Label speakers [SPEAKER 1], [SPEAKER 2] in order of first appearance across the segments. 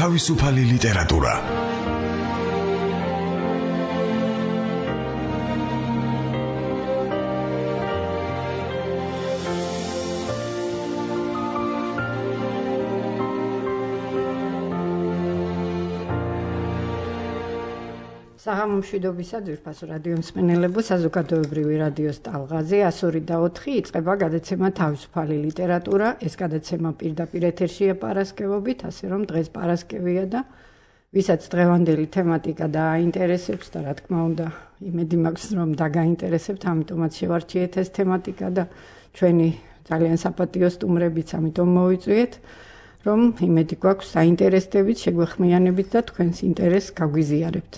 [SPEAKER 1] თავისუფალი ლიტერატურა.
[SPEAKER 2] საღამომშვიდობისა ძვირფასო რადიო მსმენელებო, საზოგადოებრივი რადიოს ტალღაზე 102.4 იწყება გადაცემა თავისუფალი ლიტერატურა. ეს გადაცემა პირდაპირ ეთერშია პარასკევობით, ასე რომ დღეს პარასკევია და ვისაც დღევანდელი თემატიკა დააინტერესებს და რა თქმა უნდა, იმედი მაქვს რომ დაგაინტერესებთ, ამიტომაც შევარჩიეთ ეს თემატიკა და ჩვენი ძალიან საპატიო სტუმრებიც ამიტომ მოვიწვიეთ, რომ იმედი გვაქვს საინტერესდებით, შეგვეხმიანებით და თქვენს ინტერესს გაგვიზიარებთ.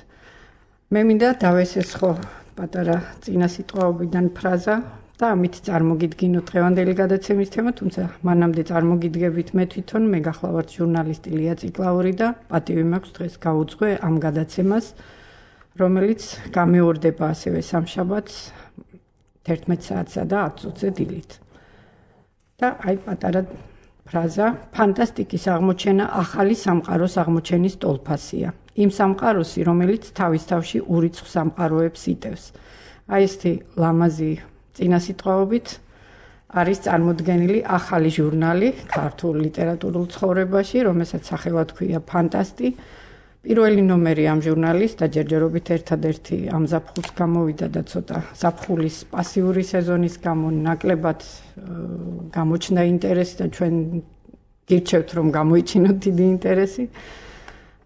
[SPEAKER 2] მე მინდა დავესესხო პატარა წინასიტყვაობიდან ფრაზა და ამით წარმოგიდგინოთ დღევანდელი გადაცემის თემა, თუმცა მანამდე წარმოგიდგებით მე თვითონ, მე გახლავართ ჟურნალისტი ლია ციკლაური და პატივი მაქვს დღეს გაუძღვე ამ გადაცემას, რომელიც გამეორდება ასევე სამშაბათს 11 საათსა და 10 წუთზე დილით. და აი პატარა ფრაზა, ფანტასტიკის აღმოჩენა ახალი სამყაროს აღმოჩენის ტოლფასია. იმ სამყაროსი, რომელიც თავის თავში ურიცხ სამყაროებს იტევს. აი ესეთი ლამაზი წინასიტყვაობით არის წარმოდგენილი ახალი ჟურნალი ქართულ ლიტერატურულ ცხოვრებაში, რომელსაც სახელად ჰქვია ფანტასტი. პირველი ნომერი ამ ჟურნალის დაჯერჯერობით ერთადერთი ამ ზაფხულს გამოვიდა და ცოტა ზაფხულის პასიური სეზონის გამო ნაკლებად გამოჩნდა ინტერესი და ჩვენ გირჩევთ რომ გამოიჩინოთ დიდი ინტერესი.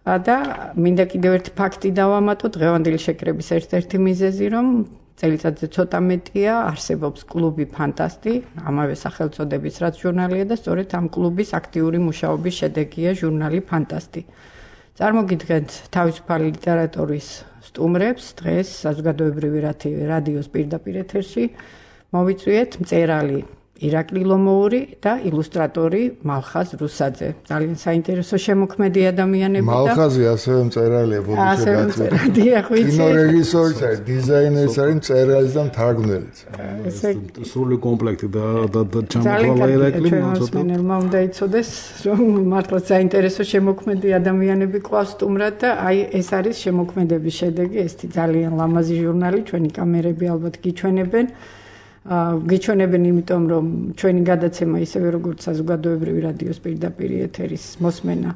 [SPEAKER 2] და მინდა კიდევ ერთი ფაქტი დავამატო, დღევანდელი შეკრების ერთ-ერთი მიზეზი, რომ წელიწადზე ცოტა მეტია არსებობს კლუბი ფანტასტი, ამავე სახელწოდების რაც ჟურნალია და სწორედ ამ კლუბის აქტიური მუშაობის შედეგია ჟურნალი ფანტასტი. წარმოგიდგენთ თავისუფალი ლიტერატურის სტუმრებს, დღეს საზოგადოებრივი რადიოს პირდაპირ ეთერში მოვიწვიეთ მწერალი ირაკლი ლომოური და ილუსტრატორი მალხაზ რუსაძე. ძალიან საინტერესო შემოქმედი ადამიანები და
[SPEAKER 3] მალხაზი ასევე მწერალია,
[SPEAKER 2] ასევე მწერალია, ხვიცი.
[SPEAKER 3] კინორეჟისორიც არის, დიზაინერიც არის, მწერალიც და მთარგმნელიც.
[SPEAKER 4] სრული კომპლექტი და ჩამოყალიბდა ირაკლი,
[SPEAKER 2] მოსმენელმა უნდა იცოდეს, რომ მართლაც საინტერესო შემოქმედი ადამიანები ყავს სტუმრად და აი ეს არის შემოქმედების შედეგი, ესეთი ძალიან ლამაზი ჟურნალი, ჩვენი კამერები ალბათ გიჩვენებენ. გიჩვენებენ იმიტომ, რომ ჩვენი გადაცემა ისევე როგორც საზოგადოებრივი რადიოს პირდაპირ ეთერის მოსმენა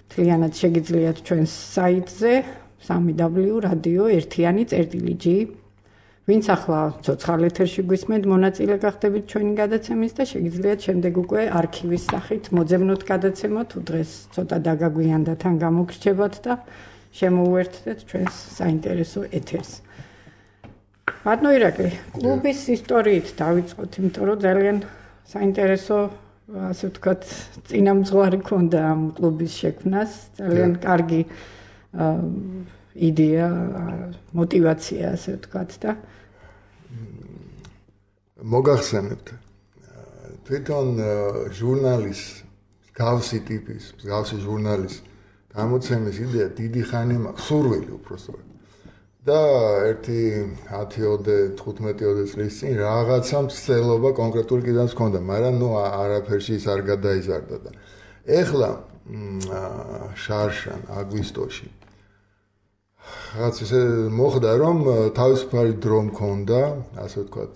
[SPEAKER 2] მთლიანად შეგიძლიათ ჩვენს საიტზე www.radio1.g. ვინც ახლა ცოცხალ ეთერში გვისმენთ, მონაწილე გახდებით ჩვენი გადაცემის და შეგიძლიათ შემდეგ უკვე არქივის სახით მოძებნოთ გადაცემა, თუ დღეს ცოტა დაგაგვიანდა თან გამოგრჩებათ და შემოუერთდეთ ჩვენს საინტერესო ეთერს. ბატონო ირაკლი, კლუბის ისტორიით დავიწყოთ, იმიტომ რომ ძალიან საინტერესო, ასე ვთქვათ, წინამძღვარი ქონდა ამ კლუბის შექმნას, ძალიან კარგი იდეა, мотивация, ასე ვთქვათ და
[SPEAKER 3] მოგახსენებთ. თვითონ ჟურნალის გავსი ტიპის, გავსი ჟურნალის გამოცემის იდეა დიდი ხანი მაქვს, სურვილი უბრალოდ. და ერთი 10-15 წლის წინ რაღაცა მცდელობა კონკრეტული კიდანაც ჰქონდა, მაგრამ არაფერში ის არ გადაიზარდა და ეხლა შარშან აგვისტოში რაღაც ისე მოხდა, რომ თავისუფალი დრო მქონდა, ასე ვთქვათ,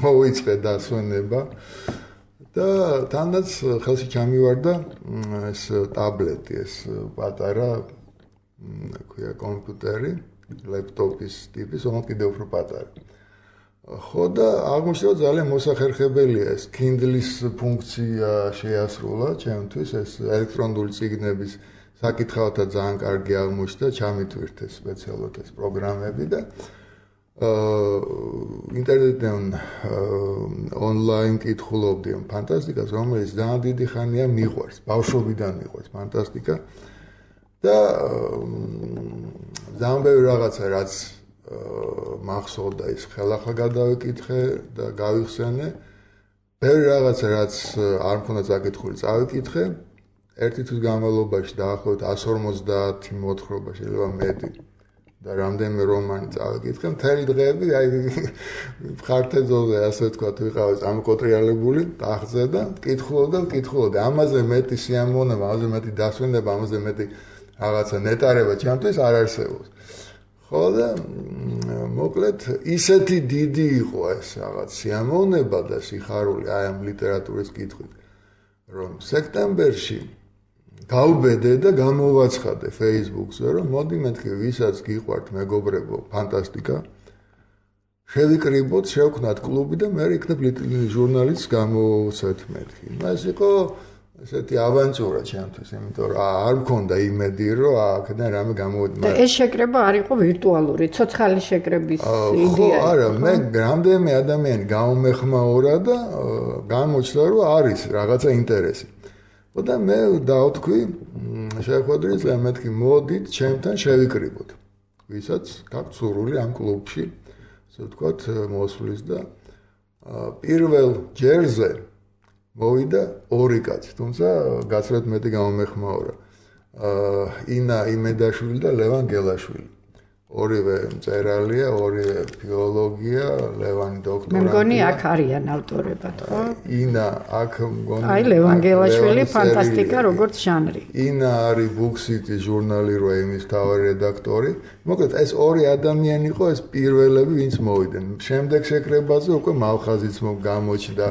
[SPEAKER 3] მოვიწყე დასვენება და თანდაც ხელში ჩამივარდა ეს ტაბლეტი, ეს პატარა ქვია კომპიუტერი, ლეპტოპის ტიპის, ოღონდ კიდევ უფრო პატარა. ხო და აღმოჩნდა ძალიან მოსახერხებელია ეს Kindle-ის ფუნქცია შეასრულა ჩემთვის, ეს ელექტრონული წიგნების საკითხავთა ძალიან კარგი აღმოჩნდა, ჩამიტვირთე სპეციალურად ეს პროგრამები და ინტერნეტიდან ონლაინ კითხულობდი ამ ფანტასტიკას, რომელიც ძალიან დიდი ხანია მიყვარს, ბავშვობიდან მიყვარს ფანტასტიკა და ძალიან ბევრი რაღაცა რაც მახსოვდა ის ხელახლა გადავიკითხე და გავიხსენე. ბევრი რაღაცა რაც არ მქონდა წაკითხული წავიკითხე. ერთი თვის განმავლობაში დაახლოებით 150 მოთხრობა, შეიძლება მეტი და რამდენიმე რომანი წავიკითხე, მთელი დღეები აი ხართეძოზე ასე ვთქვათ, ვიყავი წამოკოტრიალებული ტახტზე და ვკითხულობდი. ამაზე მეტი სიამოვნება, ამაზე მეტი დასვენება, ამაზე მეტი რაღაცა ნეტარება ჩემთვის არ არსებობს. ხო და მოკლედ ისეთი დიდი იყო ეს რაღაც სიამოვნება და სიხარული აი ამ ლიტერატურის კითხვით, რომ სექტემბერში გავბედე და გამოვაცხადე Facebook-ზე, რომ მოდი მეთქი ვისაც გიყვართ მეგობრებო ფანტასტიკა, შევიკრიბოთ, შევქნათ კლუბი და მე იქნებ ჟურნალისტს გამოვცეთ მეთქი. ეს იყო ესეთი ავანტურა ჩემთვის, იმიტომ რომ არ მქონდა იმედი, რომ აქედან რამე გამოვიდეს.
[SPEAKER 2] და ეს შეკრება არ იყო ვირტუალური, ცოცხალი შეკრების იდეა.
[SPEAKER 3] ხო, არა, მე რამდენიმე ადამიანი გამომეხმაურა და გამოჩნდა, რომ არის რაღაცა ინტერესი. და მე დავთქვი, შეხვედრი და მეთქი მოდით ჩემთან შევიკრიბოთ. ვისაც გაქვთ სურვილი ამ კლუბში, ასე ვთქვათ, მოსვლის და პირველ ჯერზე მოვიდა 2 კაცი, თუმცა გაცილებით მეტი გამომეხმაურა. ინა იმედაშვილი და ლევან გელაშვილი. ორივე მწერალია, ორივე ფილოლოგია, ლევანი დოქტორანტია.
[SPEAKER 2] მე მგონი აქ არიან ავტორებად, ხო?
[SPEAKER 3] ინა აქ მგონი.
[SPEAKER 2] აი ლევან გელაშვილი ფანტასტიკა როგორც ჟანრი.
[SPEAKER 3] ინა არის Booksity ჟურნალი როემის თავი რედაქტორი. მოკლედ ეს 2 ადამიანი იყო ეს პირველები, ვინც მოვიდნენ. შემდეგ შეკრებაზე უკვე მალხაზიც გამოჩნდა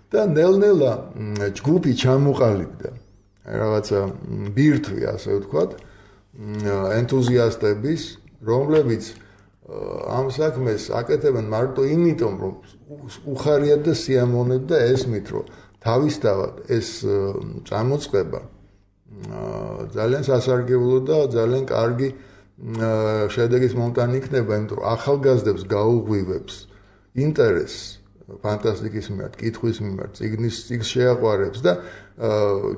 [SPEAKER 3] და ნელ-ნელა ჯგუფი ჩამოყალიბდა. რაღაცა ბირთვი, ასე ვთქვათ, ენთუზიასტების, რომლებიც ამ საქმეს აკეთებენ მარტო იმიტომ, რომ უხარიათ და სიამოვნებთ და ესმით, რომ თავისთავად ეს წამოწყება ძალიან სასარგებლო და ძალიან კარგი შედეგის მომტანი იქნება, იმიტომ რომ ახალგაზრდებს გაუღვივებს ინტერესს ფანტასტიკის მიმართ, კითხვის მიმართ, წიგნის შეაყვარებს და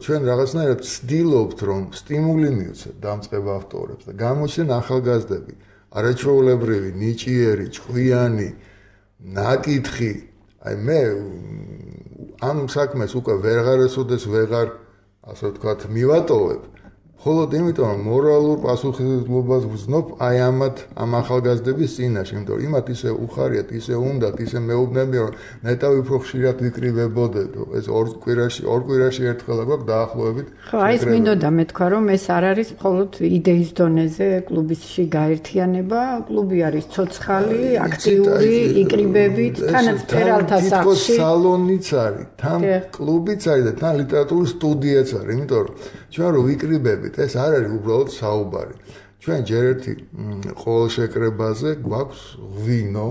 [SPEAKER 3] ჩვენ რაღაცნაირად ვცდილობთ, რომ სტიმული მივცეთ დამწყებ ავტორებს და გამოჩნდნენ ახალგაზრდები, არაჩვეულებრივი, ნიჭიერი, ჭკვიანი, ნაკითხი. აი მე ამ საქმეს უკვე ვეღარასოდეს ვეღარ, ასე ვთქვათ, მივატოვებ. მხოლოდ იმიტომ, რომ მორალურ პასუხისმგებლობას ვზნობ აი ამ ახალგაზრდების წინაშე, იმიტომ რომ იმათ ისე უხარიათ, ისე უნდათ, ისე მეუბნებიან, რომ ნეტავი უფრო ხშირად ვიკრიბებოდეთ, ეს 2 კვირაში ერთხელ გვაქვს დაახლოებით.
[SPEAKER 2] ხო, აი ეს მინდოდა მეთქვა, რომ ეს არ არის მხოლოდ იდეის დონეზე კლუბში გაერთიანება, კლუბი არის ცოცხალი, აქტიური, იკრიბებით, თანაც ფერალთა სახლში.
[SPEAKER 3] სალონიც არის, თან კლუბიც არის და თან ლიტერატურის სტუდიაც არის, იმიტომ რომ ჩვენ რო ვიკრიბებით, ეს არ არის უბრალოდ საუბარი. ჩვენ ჯერ ერთი ყოველ შეკრებაზე გვაქვს ღვინო.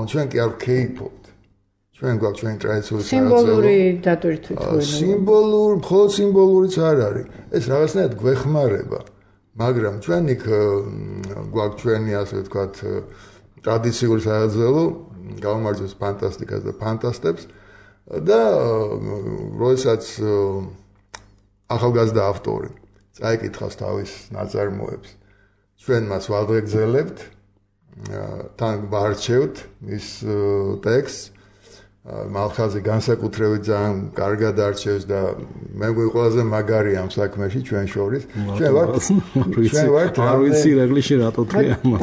[SPEAKER 3] ჩვენ კი არ ვქეიფობთ. ჩვენ გვაქვს ჩვენი ტრადიციული
[SPEAKER 2] სიმბოლური დატვირთვით.
[SPEAKER 3] მხოლოდ სიმბოლურიც არ არის. ეს რაღაცნაირად გვეხმარება. მაგრამ ჩვენ იქ გვაქვს ჩვენი, ასე ვთქვათ, ტრადიციული საძველო, გავუმარჯოს ფანტასტიკას და ფანტასტებს და როდესაც ახალგაზრდა ავტორი წაიკითხავს თავის ნაწარმოებს, ჩვენ მას ვადღეგრძელებთ, თან ვარჩევთ მის ტექსტს, მალხაზი განსაკუთრებით ძალიან კარგად არჩევს და მე მგონი ყველაზე მაგარი ამ საქმეში ჩვენ შორის. ჩვენ ვართ
[SPEAKER 4] არ ვიცი რეგლში რატო თქია მას.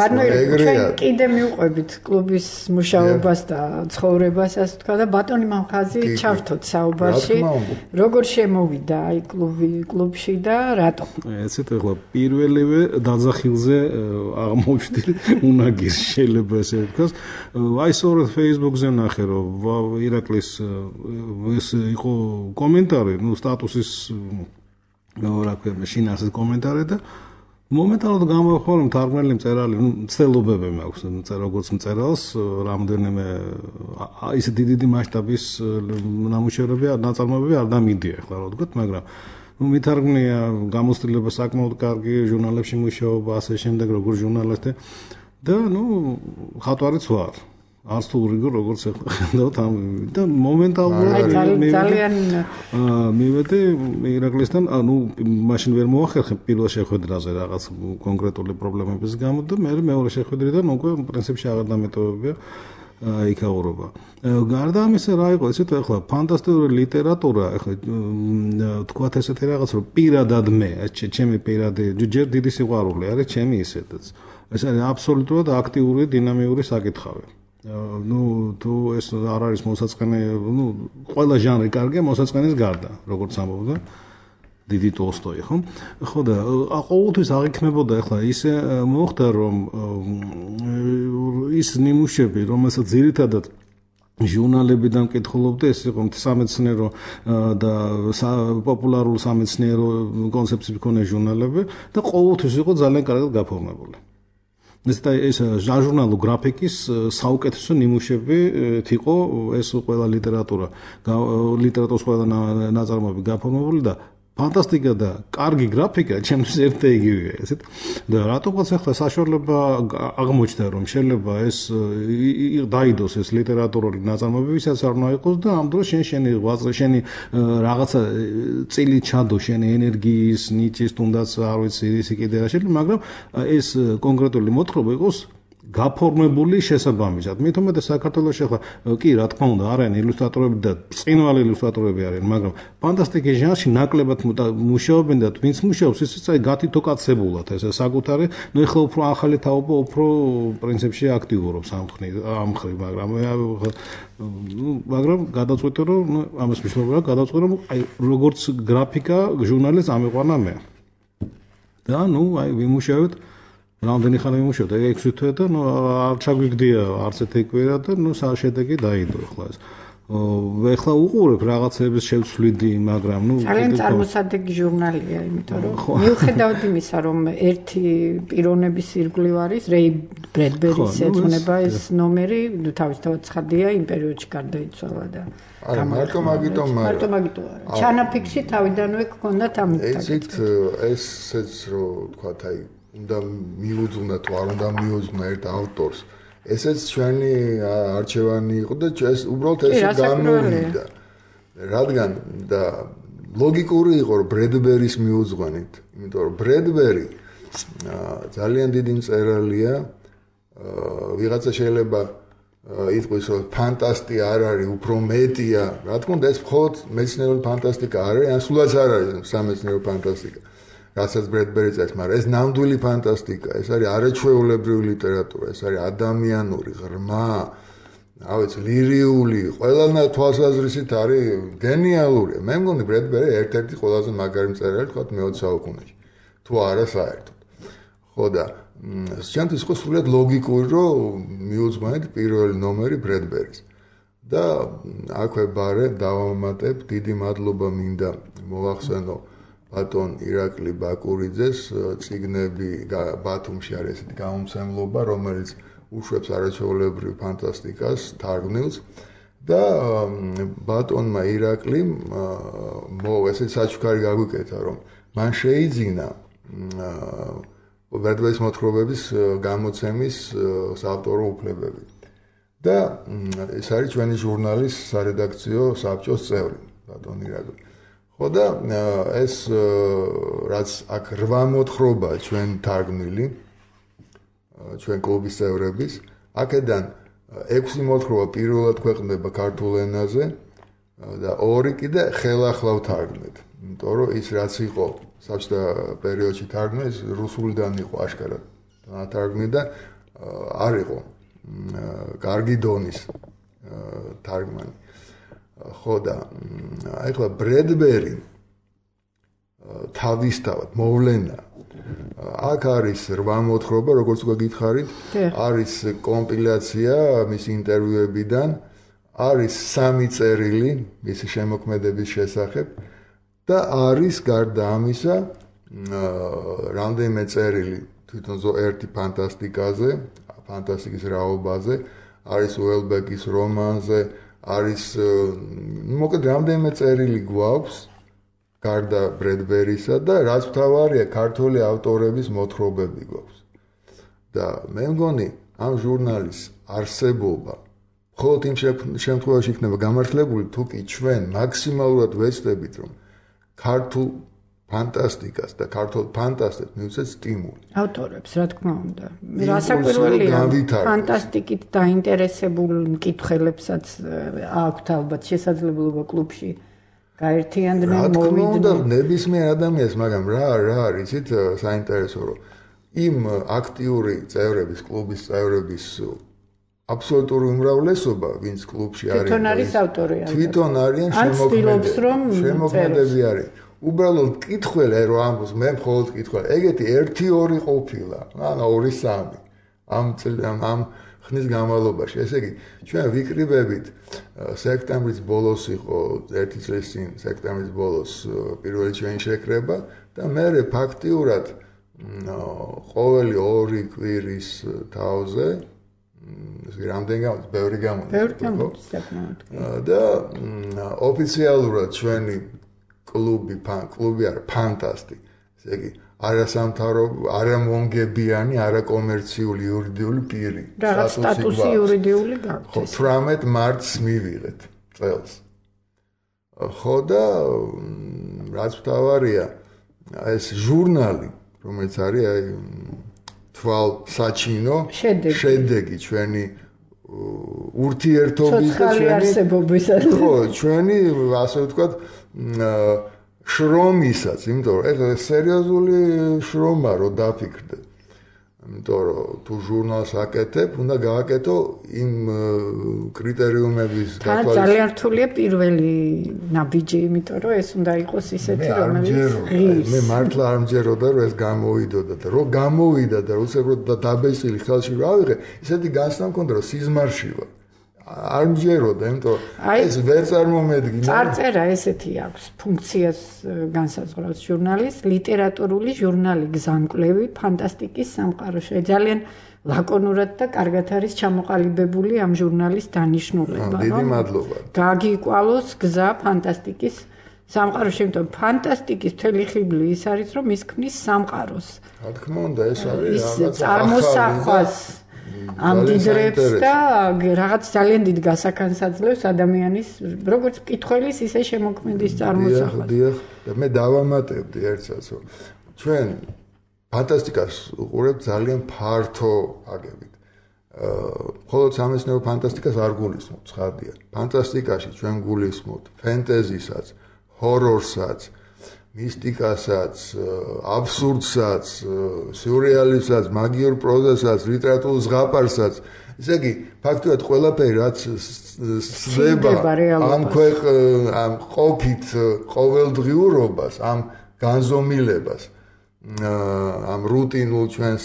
[SPEAKER 2] ჩვენ კიდე მივყვებით კლუბის მუშაობას და ცხოვრებას, ასე თქვა და ბატონი მალხაზი ჩავთოთ საუბარში. როგორ შემოვიდა აი კლუბში და რატო?
[SPEAKER 4] ესეთ ახლა პირველივე დაძახილზე აღმოჩნდი უნაგირს შეიძლება ესე ვთქვას. აი სწორედ Facebook-ზე ნახე რომ ირაკლის ეს იყო კომენტარი, სტატუსის რა ქვია, შინაარსის კომენტარი და მომენტალურად გამოხვა რომ თარგმნელი მწერალი, მცდელობები მაქვს, როგორც მწერალს, რამდენიმე ისე დიდი მასშტაბის ნამუშევრები, ნაწარმოებები არ დამიდია, ახლა რა ვთქვათ, მაგრამ მითარგმნია გამოცდილება საკმაოდ კარგი, ჟურნალებში მუშაობა, ასე შემდეგ, როგორც ჟურნალისტი და ხატვარიც ვარ. არც თუ რიგო როგორც ხედავთ ამ და მომენტალურად
[SPEAKER 2] ძალიან
[SPEAKER 4] მივედი ირაკლისთან, მაშინ ვერ მოახერხე პირველ შეხვედრაზე რაღაც კონკრეტული პრობლემების გამო და მე მეორე შეხვედრიდან უკვე პრინციპში აღარ დამეტოვებია იქაურობა. გარდა ამისა რა იყო ესეთ ახლა ფანტასტიკური ლიტერატურა ახლა თქვათ ესეთი რაღაც რომ პირადად მე ჩემი პირადი ჯერ დიდი სიყვარული არის ჩემი ისედაც ეს არის აბსოლუტურად აქტიური დინამიური საკითხავი თუ ეს არ არის მოსაწყენი ყველა ჟანრი კარგია მოსაწყენის გარდა როგორც ამბობდა დიდი ტოლსტოი ხო და ყოველთვის აღიქმებოდა ახლა ისე მოხდა რომ ის ნიმუშები რომელსაც ძირითადად ჟურნალებიდან მკითხულობდი ეს იყო სამეცნიერო და პოპულარულ სამეცნიერო კონცეფციების მქონე ჟურნალები და ყოველთვის იყო ძალიან კარგად გაფორმებული ეს ჟურნალო გრაფიკის საუკეთესო ნიმუშები იყო ეს ყველა ლიტერატურის ყველა ნაწარმოები გაფორმებული და ფანტასტიკა და კარგი გრაფიკა ჩემთვის ერთ იგივეა ესეთ და რატომაც ახლა საშუალება აღმოჩნდა რომ შეიძლება ეს დაიდოს ეს ლიტერატურული ნაწარმოები ვისაც არ უნდა იყოს და ამ დროს შენი რაღაცა წილი ჩადო შენი ენერგიის ნიჭის თუნდაც არ ვიცი ისი კიდე რა შეიძლება მაგრამ ეს კონკრეტული მოთხრობა იყოს გაფორმებული შესაბამისად. მით უმეტეს საქართველოში ახლა კი რა თქმა უნდა არიან ილუსტრატორები და წინვალი ილუსტრატორები არიან, მაგრამ ფანტასტიკის ჟანრში ნაკლებად მუშაობენ და ვინც მუშაობს ისიც აი გათითოკაცებულად ეს საკუთარი, ნუ ეხლა უფრო ახალი თაობა უფრო პრინციპში აქტიურობს ამ მხრივ, მაგრამ გადაწყვეტე რომ ამას მნიშვნელობა გადაწყვეტე რომ აი როგორც გრაფიკა ჟურნალის ამიყვანა მე. და ნუ აი ვიმუშავეთ რამდენი ხანი ვიმუშავეთ 6 თვე და ნუ არ ჩაგვიგდია არც ერთი კვირა და ნუ შედეგი დაიდო ახლა ეს. ეხლა უყურებ რაღაცების შევცვლიდი, მაგრამ ნუ
[SPEAKER 2] ძალიან წარმოსადეგი ჟურნალია, იმიტომ რომ მიუხედავად იმისა, რომ ერთი პიროვნების ირგვლივ არის რეი ბრედბერის ეძღვნება ეს ნომერი, თავისთავად ცხადია იმ პერიოდში გარდაიცვალა და
[SPEAKER 3] არა მარტო მაგიტომ
[SPEAKER 2] არა. ჩანაფიქში თავიდანვე გქონდათ ამ
[SPEAKER 3] ესეც ესეც რომ თქვათ აი უნდა მიუძღვნა თუ არ უნდა მიუძღვნა ერთ ავტორს ესეც ჩვენი არჩევანი იყო და ეს უბრალოდ ეს გამოვიდა რადგან და ლოგიკური იყო რომ ბრედბერის მიუძღვანით იმიტომ რომ ბრედბერი ძალიან დიდი მწერალია ვიღაცა შეიძლება იტყვის რომ ფანტასტი არ არის უფრო მეტია რა თქმა უნდა ეს მხოლოდ მეცნიერული ფანტასტიკა არ არის ან სულაც არ არის სამეცნიერო ფანტასტიკა რასაც ბრედბერი წერს, მაგრამ ეს ნამდვილი ფანტასტიკა, ეს არის არაჩვეულებრივი ლიტერატურა, ეს არის ადამიანური, ღრმა, რა ვიცი, ლირიული, ყველანაირ თვალსაზრისით არის გენიალური. მე მგონი ბრედბერი ერთ-ერთი ყველაზე მაგარი მწერალი თქვა მე-20 საუკუნეში. თუ არა საერთოდ. ხო და ჩემთვის იყო სულად ლოგიკური, რომ მიუძღვანეთ პირველი ნომერი ბრედბერის. და აქვე ბარე დავამატებ, დიდი მადლობა მინდა მოვახსენო ბატონ ირაკლი ბაკურიძეს წიგნები ბათუმში არის ესეთი გამომცემლობა რომელიც უშვებს არაჩვეულებრივ ფანტასტიკას თარგმნილს და ბატონმა ირაკლიმ ესეთი საჩუქარი გაგვიკეთა რომ მან შეიძინა ბრედბერის მოთხრობების გამოცემის საავტორო უფლებები და ეს არის ჩვენი ჟურნალის სარედაქციო საბჭოს წევრი ბატონ ირაკლი ხო და ეს რაც აქ 8 მოთხრობა ჩვენ თარგმნილი ჩვენ კლუბის წევრების აქედან 6 მოთხრობა პირველად ქვეყნდება ქართულ ენაზე და 2 კიდე ხელახლავ თარგმნით იმიტომ რომ ის რაც იყო საბჭოთა პერიოდში თარგმნილი ის რუსულიდან იყო აშკარად თარგმნილი და არ იყო კარგი დონის თარგმანი ხო და ახლა ბრედბერი თავისთავად მოვლენა აქ არის 8 მოთხრობა როგორც უკვე გითხარით არის კომპილაცია მის ინტერვიუებიდან არის 3 წერილი მისი შემოქმედების შესახებ და არის გარდა ამისა რამდენიმე წერილი თვითონ ერთი ფანტასტიკაზე ფანტასტიკის რაობაზე არის უელბეკის რომანზე არის მოკლედ რამდენიმე წერილი გვაქვს გარდა ბრედბერისა და რაც მთავარია ქართული ავტორების მოთხრობები გვაქვს და მე მგონი ამ ჟურნალის არსებობა მხოლოდ იმ შემთხვევაში იქნება გამართლებული თუ კი ჩვენ მაქსიმალურად ვეცდებით რომ ქართულ ფანტასტიკას და ქართულ ფანტასტებს მივცეთ სტიმული.
[SPEAKER 2] ავტორებს, რა თქმა უნდა. რასაკვირველია, ფანტასტიკით დაინტერესებულ მკითხველებსაც აქვთ ალბათ შესაძლებლობა კლუბში გაერთიანდნენ, მოვიდნენ.
[SPEAKER 3] რა თქმა უნდა, ნებისმიერ ადამიანს, მაგრამ რა არის იცით საინტერესო, რომ იმ აქტიური წევრების, კლუბის წევრების აბსოლუტური უმრავლესობა, ვინც კლუბში არის,
[SPEAKER 2] თვითონ არის ავტორი.
[SPEAKER 3] თვითონ არიან შემოქმედები არის. უბრალოდ მკითხველი რომ ამბობს მე მხოლოდ მკითხველი. ეგეთი 1-2 ყოფილა, ან 2-3 ამ ხნის განმავლობაში. ესე იგი, ჩვენ ვიკრიბებით სექტემბრის ბოლოს იყო 1 წლის წინ სექტემბრის ბოლოს პირველი ჩვენი შეკრება და მე ფაქტიურად ყოველი 2 კვირის თავზე რამდენი გამოდის, ბევრი გამოდის, და ოფიციალურად ჩვენი კლუბი არა ფანტასტი. ესე იგი, არამონგებიანი, არაკომერციული იურიდიული პირი.
[SPEAKER 2] რაღაც სტატუსი იურიდიული გაქვს.
[SPEAKER 3] 18 მარტს მივიღეთ წელს. ხო და რაც მთავარია, ეს ჟურნალი, რომელიც არის აი თვალსაჩინო შედეგი ჩვენი ურთიერთობის და
[SPEAKER 2] ხო,
[SPEAKER 3] ჩვენი ასე ვთქვათ შრომისაც, იმიტომ რომ ეს სერიოზული შრომა რო დაფიქრდე. იმიტომ რომ თუ ჟურნალს აკეთებ, უნდა გააკეთო იმ კრიტერიუმების
[SPEAKER 2] გათვალისწინებით. ძალიან რთულია პირველი ნაბიჯი, იმიტომ რომ ეს უნდა იყოს ისეთი, რომელიც
[SPEAKER 3] მე მართლა არ მჯეროდა, რომ ეს გამოვიდოდა და რო გამოვიდა და უცებროდ დაბესილი ხელში რა ავიღე, ისეთი განცდა მქონდა, რომ სიზმარში ვარ. არ მჯეროდა, იმიტომ ეს ვერ წარმომედგინა.
[SPEAKER 2] წარწერა ესეთი აქვს, ფუნქციას განსაზღვრავს ჟურნალის, ლიტერატურული ჟურნალი გზამკვლევი ფანტასტიკის სამყაროში. ძალიან ლაკონურად და კარგად არის ჩამოყალიბებული ამ ჟურნალის დანიშნულება.
[SPEAKER 3] დიდი მადლობა.
[SPEAKER 2] გაგიკვალოს გზა ფანტასტიკის სამყაროში, იმიტომ ფანტასტიკის მთელი ხიბლი ის არის, რომ ის ქმნის სამყაროს.
[SPEAKER 3] რა თქმა უნდა, ეს არის რაღაც
[SPEAKER 2] წარმოსახვას ამდიდრებს და რაღაც ძალიან დიდ გასახანს აძლევს ადამიანის როგორც მკითხველის, ისე შემოქმედის წარმოსახვას.
[SPEAKER 3] დიახ, და მე დავამატებდი ერთსაც, რომ ჩვენ ფანტასტიკას უყურებთ ძალიან ფართო აგებით. მხოლოდ სამეცნიერო ფანტასტიკას არ გულისხმობთ, ცხადია. ფანტასტიკაში ჩვენ გულისხმობთ ფენტეზისაც, ჰორორსაც, მისტიკასაც, აბსურდსაც, სიურრეალიზმსაც, მაგიურ პროზასაც, ლიტერატურულ ზღაპარსაც. ესე იგი, ფაქტობრივად ყველაფერი რაც სცდება ამ ყოფით ყოველდღიურობას, ამ განზომილებას, ამ რუტინულ ჩვენს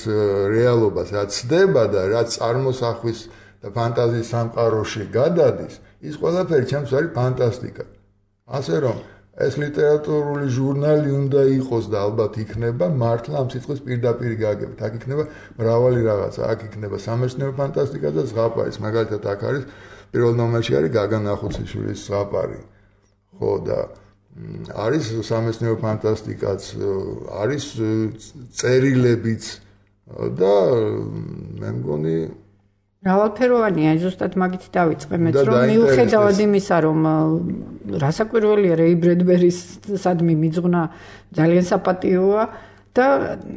[SPEAKER 3] რეალობას, რაც სცდება და რაც წარმოსახვის და ფანტაზიის სამყაროში გადადის, ის ყველაფერი ჩემთვის არის ფანტასტიკა. ასე რომ ეს ლიტერატურული ჟურნალი უნდა იყოს და ალბათ იქნება მართლა ამ სიტყვის პირდაპირ გაგებით. აქ იქნება მრავალი რაღაცა, აქ იქნება სამეცნიერო ფანტასტიკა და ზღაპარის. მაგალითად, აქ არის პირველ ნომერში არის გაგა ნახუციშვილის ზღაპარი. ხო და არის სამეცნიერო ფანტასტიკაც, არის წერილებიც და მე მგონი
[SPEAKER 2] მრავალფეროვანია, ზუსტად მაგით დავიწყე მეც, რომ მიუხედავად იმისა, რომ რასაკვირველია რეი ბრედბერის სადმი მიძღვნა ძალიან საპატიოა და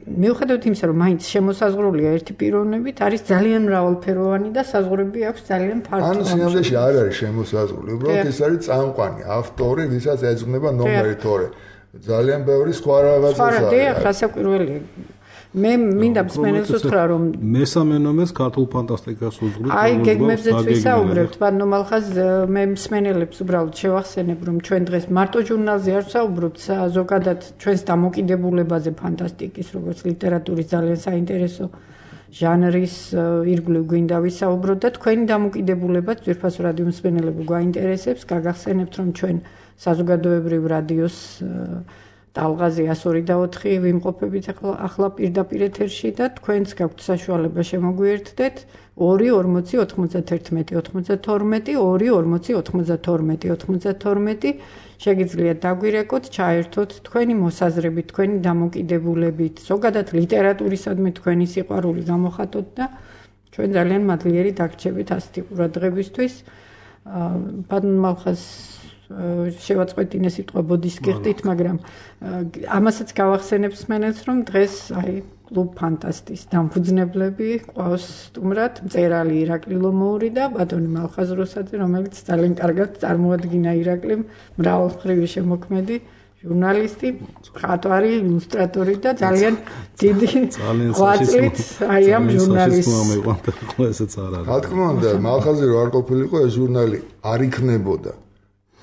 [SPEAKER 2] მიუხედავად იმისა, რომ მაინც შემოსაზღვრულია ერთი პიროვნებით, არის ძალიან მრავალფეროვანი და საზღვრები აქვს ძალიან ფართო.
[SPEAKER 3] ან სინამდვილეში არ არის შემოსაზღვრული, უბრალოდ ეს არის წამყვანი, ავტორი, ვისაც ეძღვნება ნომერი 2. ძალიან ბევრი სხვა რაღაცა არის.
[SPEAKER 2] დიახ, რასაკვირველია. მე მინდა მსმენელს უთხრა, რომ
[SPEAKER 4] მესამე ნომერს ქართულ ფანტასტიკას უძღვით.
[SPEAKER 2] აი, გეგმებზეც ვისაუბრებთ, ბანომალხაზ მე მსმენელებს უბრალოდ შევახსენებ, რომ ჩვენ დღეს მარტო ჟურნალზე არ ვსაუბრობთ, ზოგადად ჩვენს დამოკიდებულებაზე ფანტასტიკის, როგორც ლიტერატურის ძალიან საინტერესო ჟანრის ირგვლივ გვინდა ვისაუბროთ და თქვენი დამოკიდებულებაც ძვირფას რადიო მსმენელებო გაინტერესებს, გაგახსენებთ, რომ ჩვენ საზოგადოებრივ რადიოს ტალღაზე 102.4 ვიმყოფებით ახლა პირდაპირ ეთერში და თქვენც გაქვთ საშუალება შემოგვიერთდეთ 2-40-92-92 შეგიძლიათ დაგვირეკოთ, ჩაერთოთ თქვენი მოსაზრებით, თქვენი დამოკიდებულებით, ზოგადად ლიტერატურისადმი თქვენი სიყვარული გამოხატოთ და ჩვენ ძალიან მადლიერი დაგრჩებით ასეთი ყურადღებისთვის. ბატონ მალხაზ შევაწყვეტინე სიტყვა ბოდიშკირტით, მაგრამ ამასაც გავახსენებს მენელს, რომ დღეს აი კლუბ ფანტასტის დამფუძნებლები ყავს სტუმრად მწერალი ირაკლი ლომოური და ბატონი მალხაზ როსაძე, რომელიც ძალიან კარგად წარმოადგინა ირაკლიმ, მრავალმხრივი შემოქმედი ჟურნალისტი, მხატვარი, ილუსტრატორი და ძალიან დიდი ღვაწლით აი ამ ჟურნალის.
[SPEAKER 3] რა თქმა უნდა, მალხაზი რო არ ყოფილიყო, ეს ჟურნალი არ იქნებოდა.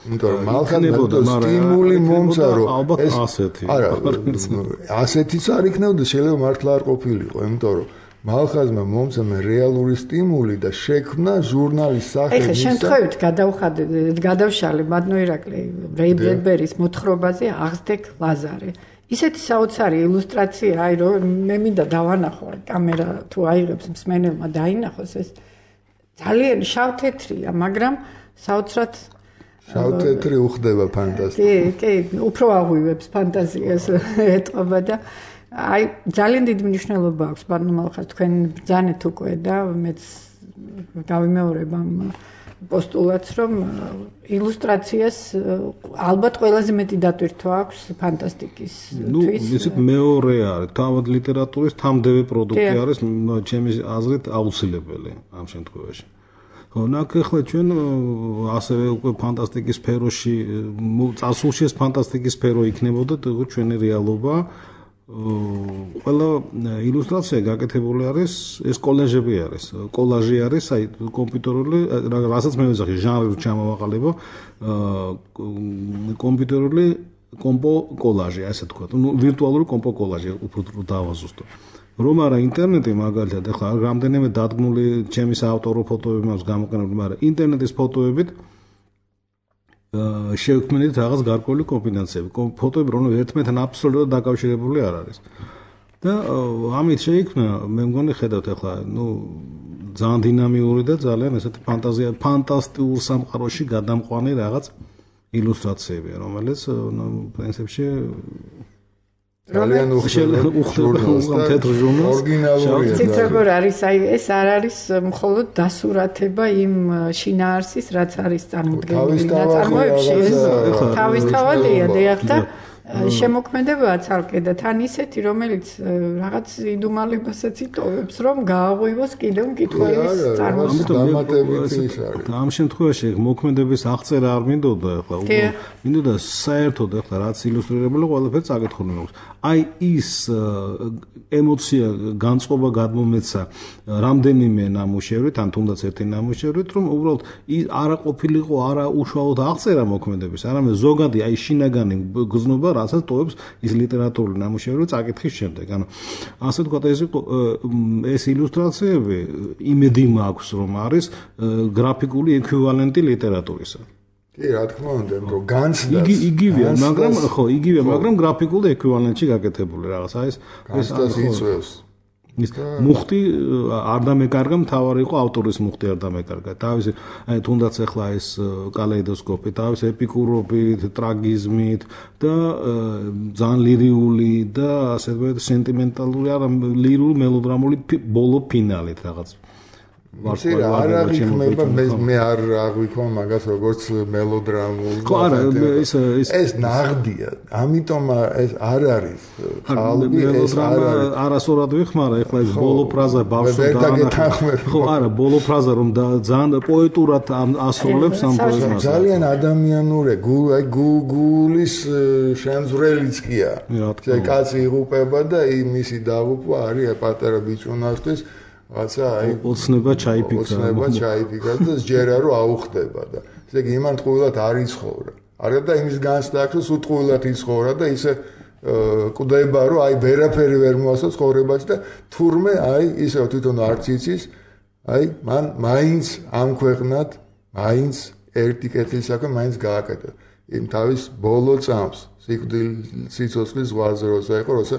[SPEAKER 3] იმიტომ რომ მალხაზი სტიმული მომცა რომ
[SPEAKER 4] ალბათ ასეთი.
[SPEAKER 3] არა, ასეთიც არ იქნებოდა, შეიძლება მართლა არ ყოფილიყო, იმიტომ რომ მალხაზმა მომცა მე რეალური სტიმული და შექმნა ჟურნალის სახე.
[SPEAKER 2] ეხლა შემთხვევით გადავშალე მადნო ირაკლი რეი ბრედბერის მოთხრობაზე აღზრდეკ ლაზარე. ისეთი საოცარი ილუსტრაცია, აი რომ მე მინდა დავანახო, კამერა თუ აიღებს მსმენელმა დაინახოს ეს ძალიან შავ-თეთრია, მაგრამ საოცრად
[SPEAKER 3] შავ-თეთრი უხდება ფანტასტიკა.
[SPEAKER 2] კი, უფრო აღვივებს ფანტაზიას ეტყობა და აი ძალიან დიდი მნიშვნელობა აქვს ბატონო მალხაზ თქვენ ბრძანეთ უკვე და მეც გავიმეორებ ამ პოსტულატს რომ ილუსტრაციას ალბათ ყველაზე მეტი დატვირთვა აქვს ფანტასტიკის თვის.
[SPEAKER 4] ისეთ მეორე არის, თავად ლიტერატურის თამდევი პროდუქტი არის, ჩემი აზრით აუცილებელი ამ შემთხვევაში. ნაკ ახლა ჩვენ ასევე უკვე ფანტასტიკის სფეროში წასულში ეს ფანტასტიკის სფერო იქნებოდა ჩვენი რეალობა. ყველა ილუსტრაცია გაკეთებული არის, ეს კოლაჟები არის, კოლაჟი არის, აი კომპიუტერული, რასაც მე ვეძახი, ჟანრი ჩამოვაყალიბო, კომპიუტერული კომპო კოლაჟი, ასე თქვა, ვირტუალური კომპო კოლაჟი, უფრო დავაზუსტო. რომ არა ინტერნეტი მაგალითად, ახლა რამდენიმე დადგმული ჩემი საავტორო ფოტოები მაქვს გამოყენებული, მაგრამ ინტერნეტის ფოტოებით შევქმნით რაღაც გარკვეული კომბინაციები. ფოტოები რომ ერთმანეთთან აბსოლუტურად დაკავშირებული არ არის. და ამით შეიქმნა, მე მგონი ხედავთ ახლა, ძალიან დინამიური და ძალიან ესეთი ფანტასტიკურ სამყაროში გადამყვანი რაღაც ილუსტრაციებია, რომელიც პრინციპში
[SPEAKER 3] ძალიან უხდება
[SPEAKER 4] თეთრ ჟურნალს.
[SPEAKER 3] ორიგინალურია.
[SPEAKER 2] ცით როგორ არის, აი ეს არ არის მხოლოდ დასურათება იმ შინაარსის, რაც არის წარმოდგენილი ნაწარმოებში, ეს თავისთავადია და შემოქმედებაა ცალკე და თან ისეთი, რომელიც რაღაც იდუმალებასაც იტოვებს, რომ გააღვივოს კიდევ მკითხველის
[SPEAKER 3] წარმოსახვითი.
[SPEAKER 4] ამ შემთხვევაში მოქმედების აღწერა არ მინდოდა ახლა, მინდოდა საერთოდ ახლა რაც ილუსტრირებული ყველაფერი წაკითხული მაქვს. აი ის ემოცია, განწყობა გადმომეცა რამდენიმე ნამუშევრით, ან თუნდაც ერთი ნამუშევრით, რომ უბრალოდ არა ყოფილიყო, არა უშუალოდ აღწერა მოქმედების, არამედ ზოგადი აი შინაგანი გზნობა რასაც ტოვებს ის ლიტერატურული ნამუშევრი წაკითხის შემდეგ. ანუ ასე ვთქვათ, ეს ილუსტრაციები იმედი მაქვს, რომ არის გრაფიკული ექვივალენტი ლიტერატურისა.
[SPEAKER 3] კი, რა თქმა უნდა, რომ განცდა
[SPEAKER 4] იგივეა, მაგრამ გრაფიკულ ექვივალენტში გაკეთებული რაღაც. აი ეს
[SPEAKER 3] იწვევს.
[SPEAKER 4] ის მუხტი არ დამეკარგა, მთავარი იყო ავტორის მუხტი არ დამეკარგა. თავისი აი თუნდაც ახლა ეს კალეიდოსკოპი, თავის ეპიკურობით, ტრაგიზმით და ძალიან ლირიული და ასე ვთქვათ სენტიმენტალური, არა ლირულ მელოდრამული ბოლო ფინალით რაღაც.
[SPEAKER 3] არ აღიქმება, მე არ აღვიქვა მაგას როგორც მელოდრამული.
[SPEAKER 4] ხო, არა,
[SPEAKER 3] ეს ნაღდია, ამიტომ ეს არ არის. ხალხი ეს
[SPEAKER 4] არასორად ვიხმარა, ეხლა ეს ბოლო ფრაზა ბავშვს
[SPEAKER 3] დაანახა.
[SPEAKER 4] ხო, არა, ბოლო ფრაზა რომ ძალიან პოეტურად ასრულებს ამ პოემას.
[SPEAKER 3] ძალიან ადამიანურია, გულის შემძვრელიც კია. კაცი იღუპება და მისი დაღუპვა არის პატარა ბიჭუნასთვის რაცა აი
[SPEAKER 4] ოცნება
[SPEAKER 3] ჩაიფიქრა და ჯერა რომ აუხდება და ესე იგი იმან ტყუილად არ იცხოვრა. არა და იმის განცდა აქვს რომ უტყუილად იცხოვრა და ისე კვდება რომ აი ვერაფერი ვერ მოასწო ცხოვრებაში და თურმე აი ისე თვითონ არც იცის აი მან მაინც ამ ქვეყნად მაინც ერთი კეთილი საქმე მაინც გააკეთა. იმ თავის ბოლო წამს სიცოცხლის ზღვაზე როცა იყო როცა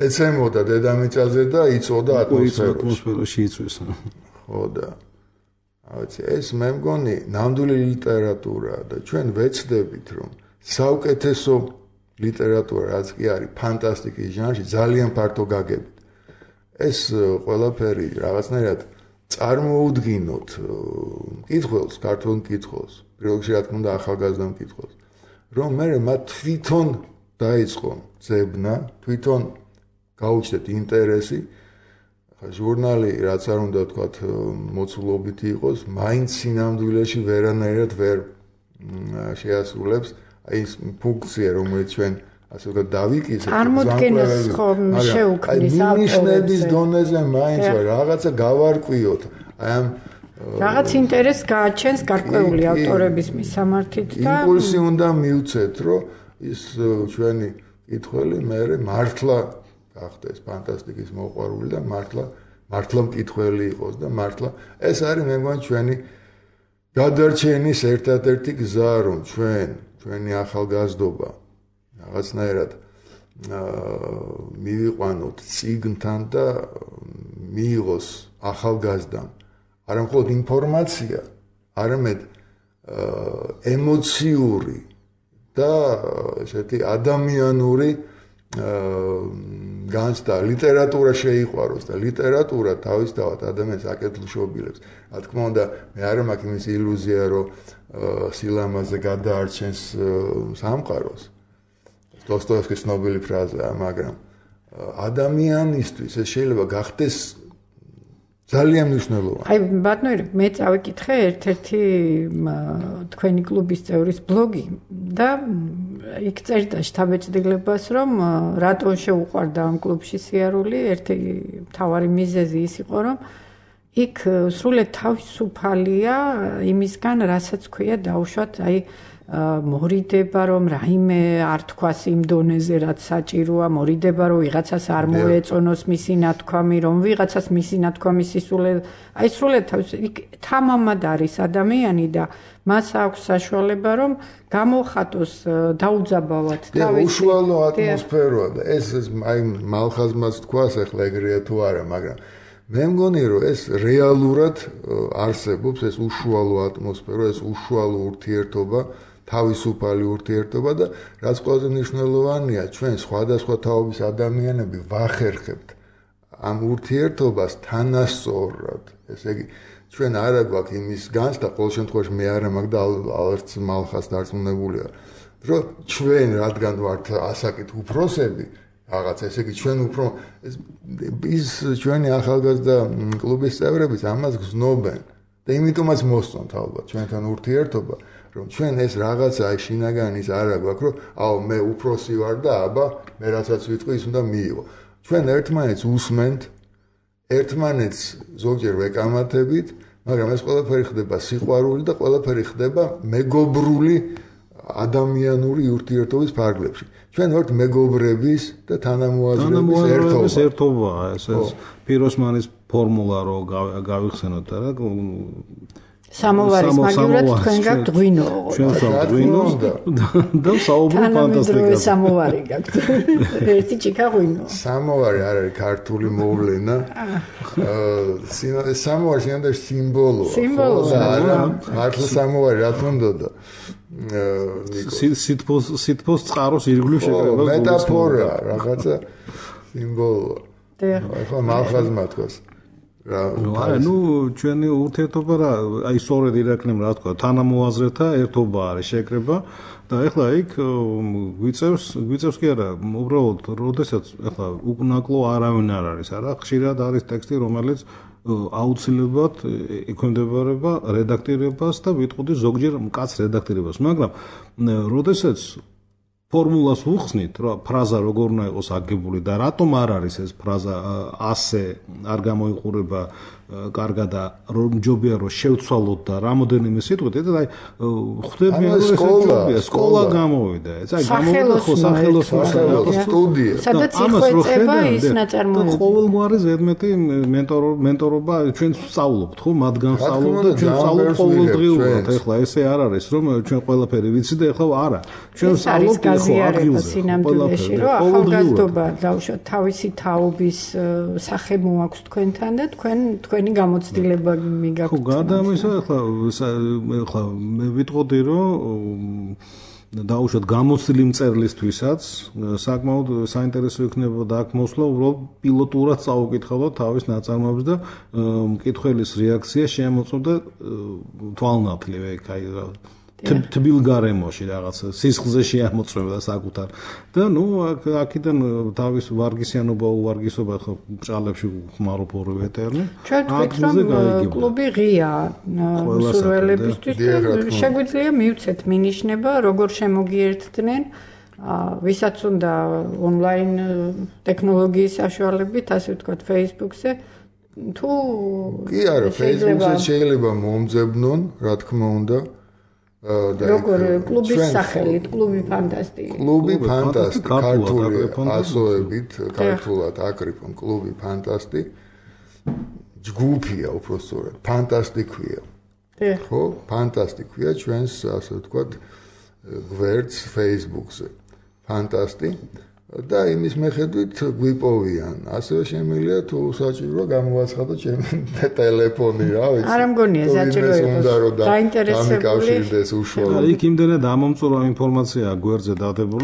[SPEAKER 3] ეცემოდა დედამიწაზე და იწოდა
[SPEAKER 4] ატმოსფეროში იწვის.
[SPEAKER 3] ხო და ეს მე მგონი ნამდვილი ლიტერატურაა და ჩვენ ვეცდებით რომ საუკეთესო ლიტერატურა რაც კი არის ფანტასტიკის ჟანრში ძალიან ფართო გაგებით. ეს ყველაფერი რაღაცნაირად წარმოუდგინოთ მკითხველს, ქართულ მკითხველს, პირველში რა თქმა უნდა ახალგაზრდა მკითხველს, რომ მე მათ თვითონ დაიწყო ძებნა, თვითონ გაუჩნდეთ ინტერესი, ჟურნალი რაც არ უნდა ვთქვათ მოცულობითი იყოს, მაინც სინამდვილეში ვერანაირად ვერ შეასრულებს აი ეს ფუნქცია, რომელიც ჩვენ ასე ვთქვათ დავიკისეთ,
[SPEAKER 2] წარმოქმნეს ხომ შეუქმნის
[SPEAKER 3] ნიშნების დონეზე მაინც რაღაცა გავარკვიოთ. აი ამ
[SPEAKER 2] რაღაც ინტერესს გააჩენს გარკვეული ავტორების მისამართით და
[SPEAKER 3] იმპულსი უნდა მივცეთ, რომ ის ჩვენი კითხველი მე მართლა გახდეს ფანტასტიკის მოყვარული და მართლა მკითხველი იყოს და მართლა ეს არის მე მგონი ჩვენი გადარჩენის ერთადერთი გზა, რომ ჩვენი ახალგაზრდობა რაღაცნაირად მივიყვანოთ წიგნთან და მიიღოს ახალგაზრდამ არა მხოლოდ ინფორმაცია, არამედ ემოციური და ესეთი ადამიანური განცდა, ლიტერატურა შეიყვაროს და ლიტერატურა თავისთავად ადამიანს აკეთილშობილებს. რა თქმა უნდა, მე არ მაქვს იმის ილუზია, რომ სილამაზე გადაარჩენს სამყაროს. დოსტოევსკის ცნობილი ფრაზაა, მაგრამ ადამიანისთვის ეს შეიძლება გახდეს ძალიან მნიშვნელოვანი.
[SPEAKER 2] აი, ბატონო, მე წავიკითხე ერთ-ერთი თქვენი კლუბის წევრის ბლოგი და იქ წერდა შთაბეჭდილებას, რომ რატომ შეუყვარდა ამ კლუბში სიარული, ერთი მთავარი მიზეზი ის იყო, რომ იქ სრულად თავისუფალია იმისგან, რასაც ქვია დაუშვათ, აი მორიდება, რომ რაიმე არ თქვას იმ დონეზე, რაც საჭიროა, მორიდება, რომ ვიღაცას არ მოეწონოს მისი ნათქვამი, რომ ვიღაცას მისი ნათქვამი აი სრულად თამამად არის ადამიანი და მას აქვს საშუალება, რომ გამოხატოს დაუძაბავად
[SPEAKER 3] თავისი უშუალო ატმოსფეროა და ეს აი მალხაზმაც თქვას ახლა ეგრეა თუ არა, მაგრამ მე მგონი, რომ ეს რეალურად არსებობს, ეს უშუალო ატმოსფერო, ეს უშუალო ურთიერთობა, თავისუფალი ურთიერთობა და რაც ყველაზე მნიშვნელოვანია, ჩვენ სხვადასხვა თაობის ადამიანები ვახერხებთ ამ ურთიერთობას თანასწორად. ესე იგი, ჩვენ არა გვაქვს იმის განცდა, ყოველ შემთხვევაში მე არა მაქვს და არც მალხას დარწმუნებულია, რომ ჩვენ რადგან ვართ ასაკით უფროსები, რაღაც ესე იგი ჩვენ უფრო ის ჩვენი ახალგაზრდა კლუბის წევრებიც ამას გზნობენ და იმიტომაც მოსწონთ ალბათ ჩვენთან ურთიერთობა, რომ ჩვენ ეს რაღაცა აი შინაგანის არა გვაქვს, რომ აუ მე უფროსი ვარ და აბა მე რასაც ვიტყვი ის უნდა მიიღო. ჩვენ ერთმანეთს უსმენთ, ერთმანეთს ზოგჯერ ვეკამათებით, მაგრამ ეს ყველაფერი ხდება სიყვარული და ყველაფერი ხდება მეგობრული ადამიანური ურთიერთობის ფარგლებში. ჩვენ ვართ მეგობრების და თანამოაზრეობის
[SPEAKER 4] ერთობა, ეს პიროსმანის ფორმულა რო გავიხსენოთ რა.
[SPEAKER 2] სამოვარის მაგივრად თქვენ გაქვთ ღვინო.
[SPEAKER 4] ჩვენ ვსაუბრობთ ღვინოს და საუბრობთ ფანტასტიკაზე.
[SPEAKER 2] სამოვარი გაქვთ. ერთი ჭიქა ღვინო.
[SPEAKER 3] სამოვარი არ არის ქართული მოვლენა. სამოვარი შეიძლება სიმბოლოა.
[SPEAKER 2] სიმბოლოა.
[SPEAKER 3] მართლა სამოვარი რა თქმა უნდა.
[SPEAKER 4] სითბოს წყაროს ირგვლივ შეკრება.
[SPEAKER 3] მეტაფორა, რაღაცა სიმბოლოა. ახლა მალხაზმა თქვას.
[SPEAKER 4] არა, ჩვენი ურთიერთობა რა, აი სწორედ ირაკლიმ რა თქვა, თანამოაზრეთა ერთობა არის შეკრება და ეხლა იქ გვიწევს კი არა, უბრალოდ, როდესაც ეხლა უკნაკლო არავინ არ არის, არა, ხშირად არის ტექსტი, რომელიც აუცილებლად ექვემდებარება რედაქტირებას და ვიტყოდი ზოგჯერ მკაცრ რედაქტირებას, მაგრამ როდესაც ფორმულას უხსნით, რომ ფრაზა როგორ უნდა იყოს აგებული და რატომ არ არის ეს ფრაზა ასე არ გამოიყურება კარგად და რომ ჯობია რომ შევცვალოთ და რამოდენიმე სიტყვით, და აი ხვდები რომ სკოლა გამოვიდა, აი გამოვიდა ხო სახელოსნო
[SPEAKER 3] სტუდია.
[SPEAKER 2] სადაც იხვეწება ის ნაწარმოები.
[SPEAKER 4] ყოველგვარი ზედმეტი მენტორობა ჩვენ ვსწავლობთ, ხო, მათგან ვსწავლობთ და ჩვენ ვსწავლობთ ყოველდღიურად. ეხლა ესე არ არის, რომ ჩვენ ყველაფერი ვიცით და ეხლა არა. ჩვენ ვსწავლობთ
[SPEAKER 2] გაზიარება სინამდვილეში, რომ ახალგაზრდობა დაუშვათ თავისი თაობის სახე მოაქვს თქვენთან და თქვენი გამოცდილება მიგაქვთ.
[SPEAKER 4] ხო, გადამისა ახლა მე ვიტყოდი, რომ დაუშვათ გამოცდილი მწერლისთვისაც საკმაოდ საინტერესო იქნებოდა აქ მოსვლა, უბრალოდ პილოტურად წაუკითხავდა თავის ნაწარმოებს და მკითხველის რეაქცია შემოწმდა თვალნათლივ ეგ აი თბილ გარემოში რაღაც სისხლზე შეამოწმებდა საკუთარ და ნუ აქედან თავის ვარგისიანობა უვარგისობა ხო ბრჭყალებში ხმარობ ორივე ტერმი
[SPEAKER 2] ჩვენ ვთქვით კლუბი ღია მსურველებისთვის შეგვიძლია მივცეთ მინიშნება როგორ შემოგიერთდნენ ვისაც უნდა ონლაინ ტექნოლოგიის საშუალებით ასე ვთქვათ Facebook-ზე თუ
[SPEAKER 3] კი არა Facebook-ზე შეიძლება მომძებნონ რა თქმა უნდა
[SPEAKER 2] როგორ კლუბის სახელით კლუბი ფანტასტი
[SPEAKER 3] კლუბი ფანტასტი ქართული ასოებით ქართულად აკრიფონ კლუბი ფანტასტი ჯგუფია უბრალოდ ფანტასტი ქვია ხო ფანტასტი ქვია ჩვენს ასე ვთქვათ გვერდს Facebook-ზე ფანტასტი და იმის მიხედვით გვიპოვიან ასევე შემიძლია თუ საჭირო გამოვაცხადოთ ჩემი ტელეფონი რა ვიცი
[SPEAKER 2] არ მგონია საჭირო იყოს
[SPEAKER 3] დაინტერესებული უშუალოდ
[SPEAKER 4] იქ იმდენად ამომწურო ინფორმაცია გვერდზე დადებული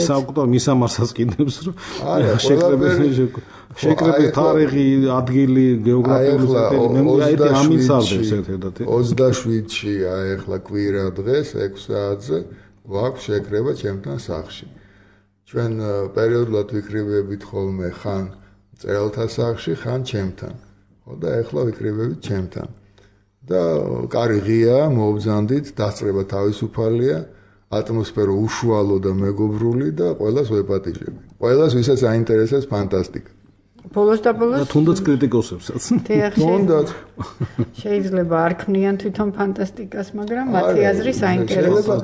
[SPEAKER 4] საკუთარ მისამარსაც კიდევს რომ შეკრებილ თარიღი ადგილი გეოგრაფიული ზეგანი ამის არდებს ერთადერთი
[SPEAKER 3] 27-ში ახლა კვირა დღეს 6 საათზე გვაქვს შეკრება ჩემთან სახლში ჩვენ პერიოდულად ვიკრიბებით ხოლმე ხან მწერალთა სახლში, ხან ჩემთან. ხო და ეხლა ვიკრიბებით ჩემთან. და კარი ღია, მოვბრძანდით, დასწრება თავისუფალია, ატმოსფერო უშუალო და მეგობრული და ყველას ვეპატიჟები. ყველას ვისაც აინტერესებს ფანტასტიკა.
[SPEAKER 2] ბოლოს და ბოლოს
[SPEAKER 4] თუნდაც კრიტიკოსებსაც.
[SPEAKER 3] თუნდაც
[SPEAKER 2] შეიძლება არ ქმნიან თვითონ ფანტასტიკას, მაგრამ მათი აზრი საინტერესოა.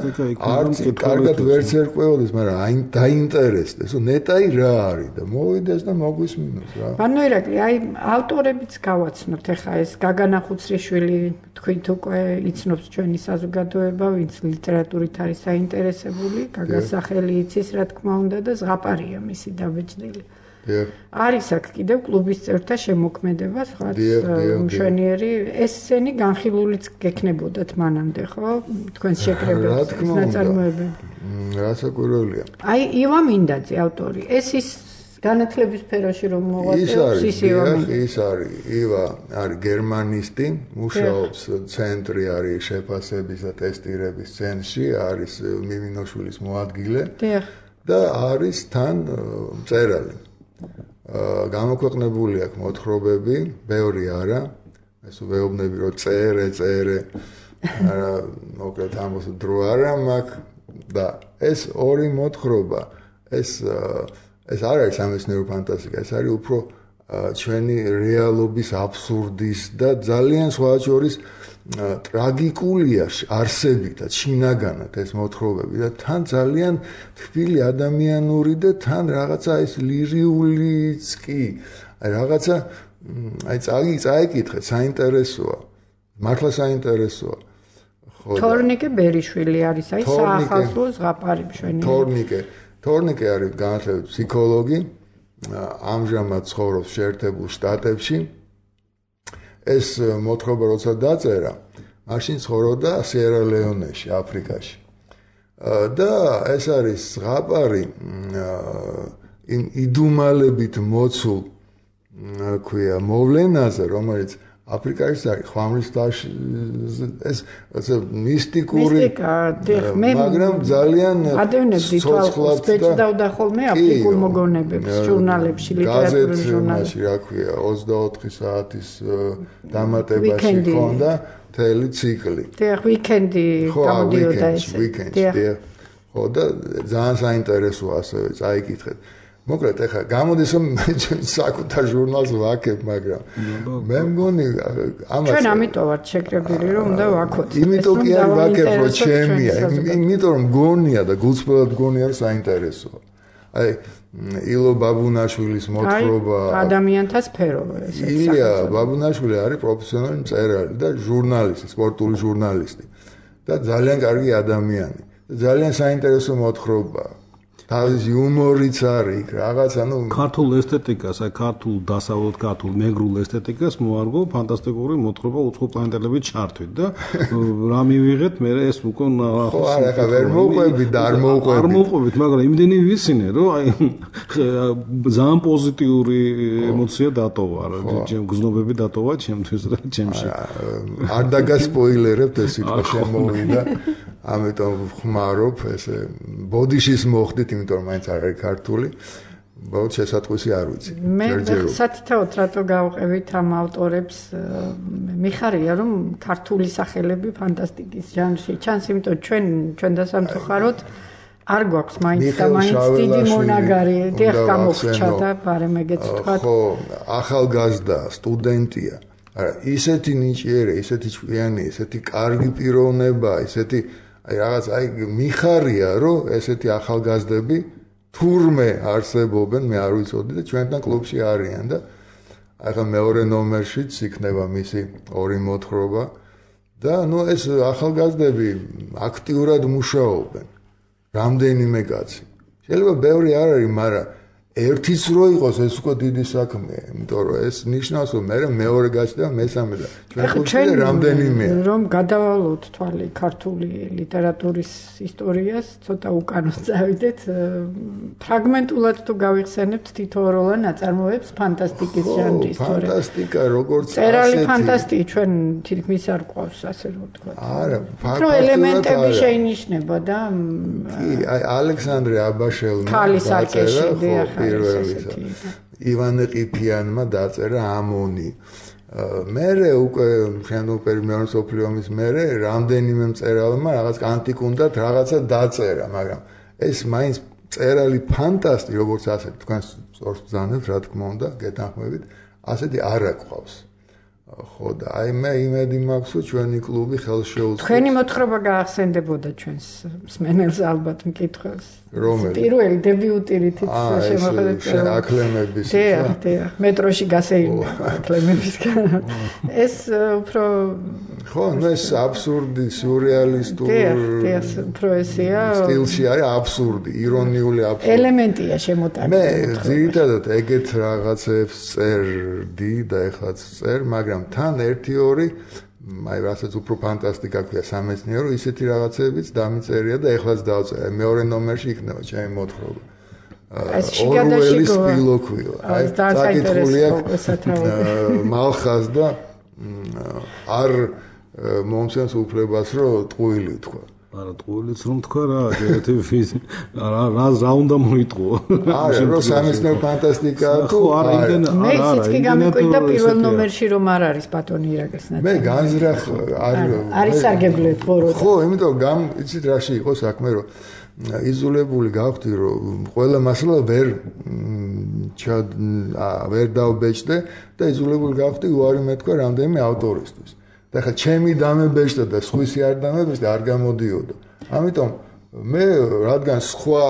[SPEAKER 3] არც კარგად ვერც ერკვეოდეს, მაგრამ დაინტერესდეს, ნეტაი რა არის და მოვიდეს და მოგვისმინოს რა.
[SPEAKER 2] ბანო ირაკლი, აი ავტორებიც გავაცნოთ ახლა ეს გაგანა ხუცრიშვილი თქვით უკვე იცნობს ჩვენი საზოგადოება, ვინც ლიტერატურით არის საინტერესებული, გაგას სახელი იცის რა თქმა უნდა და ზღაპარია მისი დაბეჭდილი. არის აქ კიდევ კლუბის წევრთა შემოქმედება, სხვა მშვენიერი ესენი განხილულიც გექნებოდათ მანამდე, ხო? თქვენს შეკრებებს ნაწარმოებები.
[SPEAKER 3] რასაკვირველია.
[SPEAKER 2] აი ივა მინდაძე ავტორი. ეს ის განათლების სფეროში რომ მოღვაწეობს
[SPEAKER 3] ის არის ივა არის გერმანისტი, მუშაობს ცენტრი არის შეფასების და ტესტირების ცენტრში, არის მიმინოშვილის მოადგილე და არის თან მწერალი. გამოქვეყნებული აქვს მოთხრობები, ბევრი არა. ეს ვეუბნები რომ წერე, არა, მოკლედ ამას დრო არა მაქვს და ეს ორი მოთხრობა, ეს არ არის სამეცნიერო ფანტასტიკა, ეს არის უფრო ჩვენი რეალობის აბსურდის და ძალიან სხვა შორის ტრაგიკულია არსებითაც, შინაგანად ეს მოთხრობები და თან ძალიან თბილი ადამიანური და თან რაღაცა ეს ლირიულიც კი, რაღაცა აი წაიკითხეთ, საინტერესოა. მართლა საინტერესოა.
[SPEAKER 2] თორნიკე ბერიშვილი არის, აი საახალწლო ზღაპარი მშვენიერი. თორნიკე არის განათლებით ფსიქოლოგი, ამჟამად ცხოვრობს შეერთებულ შტატებში. ეს მოთხრობა როცა დაწერა, მაშინ ცხოვრობდა სიერა-ლეონეში, აფრიკაში. და ეს არის ზღაპარი იმ იდუმალებით მოცულ ქვია მოვლენაზე, რომელიც აფრიკაში არის ხვამლისთაში ეს მისტიკური მაგრამ ძალიან ცოცხლად და ხოლმე აფრიკულ მოგონებებს ჟურნალებში ლიტერატურულ ჟურნალებში
[SPEAKER 3] რა ქვია 24 საათის დამატებაში ხონდა მთელი ციკლი
[SPEAKER 2] ვიკენდი გამოდიოდა ესე
[SPEAKER 3] ხო და ძალიან საინტერესოა ასევე წაიკითხეთ მოკლედ ახლა გამოდის რომ საკუთარ ჟურნალს ვაკებ, მაგრამ მე მგონი ამას
[SPEAKER 2] ჩვენ ამიტომ ვართ შეკრებილი რომ უნდა ვაკოთ.
[SPEAKER 3] იმიტომ კი არ ვაკებ რომ ჩემია, იმიტომ რომ მგონია და გულწრფელად მგონია რომ საინტერესოა. აი ილო ბაბუნაშვილის მოთხრობა
[SPEAKER 2] ადამიანთა სფერო ესე.
[SPEAKER 3] ილია ბაბუნაშვილი არის პროფესიონალი მწერალი და ჟურნალისტი, სპორტული ჟურნალისტი და ძალიან კარგი ადამიანი. ძალიან საინტერესო მოთხრობაა. თავის იუმორიც არის რაღაც
[SPEAKER 4] ქართულ ესთეტიკას, აი ქართულ დასავლეთ ქართულ მეგრულ ესთეტიკას მოარგო ფანტასტიკური მოთხრობა უცხო პლანეტელებით ჩართვით და რა მივიღეთ მე ეს უკვე
[SPEAKER 3] ხო არა ხა ვერ მოვყვებით და არ
[SPEAKER 4] მოვყვებით მაგრამ იმდენი ვიცინე რომ აი ძალიან პოზიტიური ემოცია დატოვა რა გზნობები დატოვა ჩემთვის რა ჩემში
[SPEAKER 3] არ დაგასპოილერებთ ეს სიტყვა შემოვიდა ამიტომ ხმარობ ესე ბოდიშის მოხდით იმიტომ რომ მაინც არ არის ქართული ბოლოს შესატყვისი არ ვიცი
[SPEAKER 2] მე სათითაოდ რატო გავყევით ამ ავტორებს მიხარია რომ ქართული სახელები ფანტასტიკის ჟანრში ჩანს იმიტომ ჩვენ დასამწუხაროდ არ გვაქვს მაინც და მაინც დიდი მონაგარი დიახ გამოგრჩა და ბარემ ეგეც თქვა
[SPEAKER 3] ხო ახალგაზრდა სტუდენტია არა ისეთი ნიჭიერი ისეთი ჭკვიანი ისეთი კარგი პიროვნება ისეთი აი რაღაც აი მიხარია რომ ესეთი ახალგაზრდები თურმე არსებობენ მე არ ვიცოდი და ჩვენთან კლუბში არიან და ახლა მეორე ნომერშიც იქნება მისი ორი მოთხრობა და ეს ახალგაზრდები აქტიურად მუშაობენ რამდენიმე კაცი შეიძლება ბევრი არ არის მაგრამ ერთიც რო იყოს ეს უკვე დიდი საქმეა იმიტომ რომ ეს ნიშნავს რომ მე მეორე გაჩნდა მესამე და ჩვენ ხუთი რამდენიმეა
[SPEAKER 2] რომ გადავალოთ თვალი ქართული ლიტერატურის ისტორიას ცოტა უკანონს წავიდეთ ფრაგმენტულად თუ გავიხსენებთ თითოეულ ნაწარმოებს ფანტასტიკის ჟანრის
[SPEAKER 3] ფანტასტიკა როგორც
[SPEAKER 2] წერალი ფანტასტიკი ჩვენ თითქმის არ ყავს ასე რომ ვთქვა
[SPEAKER 3] არა
[SPEAKER 2] რო ელემენტები შეინიშნება და
[SPEAKER 3] კი აი ალექსანდრე აბაშელმა
[SPEAKER 2] ქალის არქეში
[SPEAKER 3] პირველისა ივანე ყიფიანმა დაწერა ამონი მერე უკვე შენდოპერ მეორე მსოფლიო ომის მერე რამდენიმე მწერალმა რაღაც ანტიკუნდად რაღაცა დაწერა მაგრამ ეს მაინც წერალი ფანტასტი როგორც ასეთი თქვენ სწორს ბრძანებთ რა თქმა უნდა გეთანხმებით ასეთი არ აკვავს ხო და აი მე იმედი მაქვს რომ ჩვენი კლუბი ხელს შეუწყობს
[SPEAKER 2] თქვენი მოთხრობა გაახსენდებოდა ჩვენს მსმენელს ალბათ მკითხველს
[SPEAKER 3] რომელი
[SPEAKER 2] პირველი დებიუტი რითიც შემოხედეთ
[SPEAKER 3] აკლემების
[SPEAKER 2] დიახ მეტროში გასეირნე აკლემებისგან ეს უფრო
[SPEAKER 3] ხო ეს აბსურდი სიურრეალისტური
[SPEAKER 2] დიახ უფრო ესეა
[SPEAKER 3] სტილში არის აბსურდი ირონიული აბსურდი
[SPEAKER 2] ელემენტია შემოტანილი
[SPEAKER 3] მე ძირითადად ეგეთ რაღაცებს წერდი და ეხლაც წერ მაგრამ თან 1-2 აი რასაც უფრო ფანტასტიკა ქვია სამეცნიერო ისეთი რაღაცებიც დამიწერია და ეხლაც დავწერე მეორე ნომერში იქნება ჩემი მოთხრობა ორველის პილოქვილა აი საკითხულია მალხას და არ მომცემს უფლებას რომ ტყუილი თქვა
[SPEAKER 4] არა ტყუილიც რომ თქვა რა რა უნდა მოიტყო
[SPEAKER 3] არა რომ სამეცნიერო ფანტასტიკა თუ
[SPEAKER 4] არა იმდენ
[SPEAKER 2] მე ისიც კი გამიკვირდა პირველ ნომერში რომ არ არის ბატონი ირაკლის ნაწილი
[SPEAKER 3] მე განზრახ
[SPEAKER 2] არის სარგებლეთ ბორო
[SPEAKER 3] ხო იმიტომ იცით რაში იყო საქმე რომ იზოლებული გავხდი რომ ყველა მასალა ვერ დავბეჭდე და იზოლებული გავხდი უარი მეთქვა რამდენიმე ავტორისთვის და ხა ჩემი დამებეჭდა და სხვისი არ დამებეჭდა არ გამოდიოდა ამიტომ მე რადგან სხვა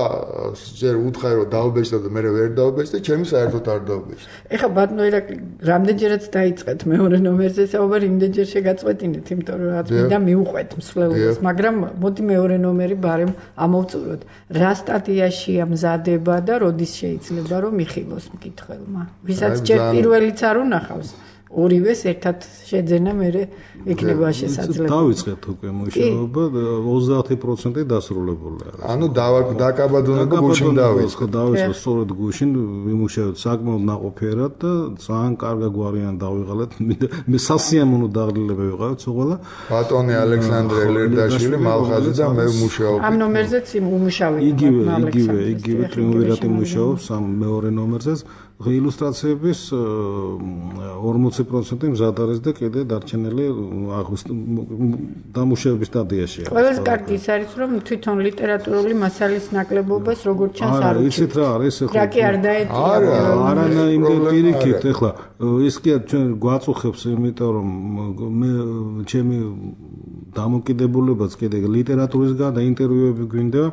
[SPEAKER 3] ჯერ უთხარი რომ დავბეჭდა და მე ვერ დავბეჭდე ჩემი საერთოდ არ დავბეჭდა
[SPEAKER 2] ეხა ბატონო ირაკლი რამდენჯერაც დაიწყეთ მეორე ნომერზე საუბარი იმდენჯერ შეგაწყვეტინეთ იმიტომ რომ რაც მინდა მიუყვეთ მსვლელობას მაგრამ მოდი მეორე ნომერი ბარემ ამოვწუროთ რა სტატიაშია მზადება და როდის შეიძლება რომ მიხილოს მკითხველმა ვისაც ჯერ პირველიც არ უნახავს ორივეს ერთად შეძენა მე იქნება შესაძლებელი.
[SPEAKER 4] დავიწყეთ უკვე მუშაობა 30% დასრულებულია.
[SPEAKER 3] ანუ დაკაბადონება გუშინ დავიწყეთ.
[SPEAKER 4] დავიწყეთ სწორედ გუშინ ვიმუშავეთ საკმაოდ ნაყოფიერად და ძალიან კარგი გვარიან დავიღალეთ. მე სასიამოვნო დაღლილება ვიყავით სულ.
[SPEAKER 3] ბატონი ალექსანდრე ლერდაშვილი მალხაზი და მე ვმუშაობ.
[SPEAKER 2] ამ ნომერზეც იმუშავეთ.
[SPEAKER 4] იგივე ტრიუმვირატი მუშაობს ამ მეორე ნომერზეც. ილუსტრაციების 40% მზად არის და კიდე დარჩენილი დამუშავების სტადიაშია.
[SPEAKER 2] ყველას კარგი ის არის რომ თვითონ ლიტერატურული მასალის ნაკლებობას როგორც ჩანს არ
[SPEAKER 4] არის. ისეთ რა არის ეხლა.
[SPEAKER 2] რა კი არ დაეტია.
[SPEAKER 4] არა იმდენ პირიქით ეხლა ის კი ჩვენ გვაწუხებს იმიტომ რომ მე ჩემი დამოკიდებულებაც კიდე ლიტერატურისგან და ინტერვიუები გვინდა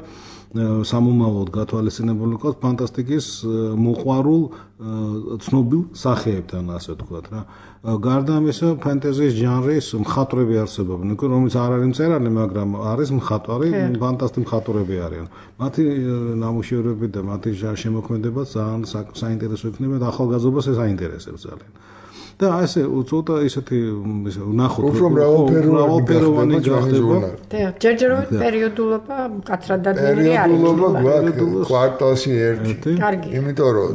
[SPEAKER 4] სამომავლოდ გათვალისწინებული ყავს ფანტასტიკის მოყვარულ ცნობილ სახეებთან, ასე ვთქვათ რა. გარდა ამისა, ფენტეზის ჟანრის მხატვრები არსებობენ, რომელიც არ არის მწერალი, მაგრამ არის მხატვარი, ფანტასტიკი მხატვრები არიან. მათი ნამუშევრები და მათი შემოქმედება ძალიან საინტერესო იქნება და ახალგაზრდობას ეს აინტერესებს ძალიან. და ასე ცოტა ისეთი ნახოთ
[SPEAKER 3] უფრო მრავალფეროვანი გახდება.
[SPEAKER 2] ჯერჯერობით პერიოდულობა მკაცრად დადგენილი არის.
[SPEAKER 3] პერიოდულობა გვაქვს კვარტალში ერთი. იმიტომ რომ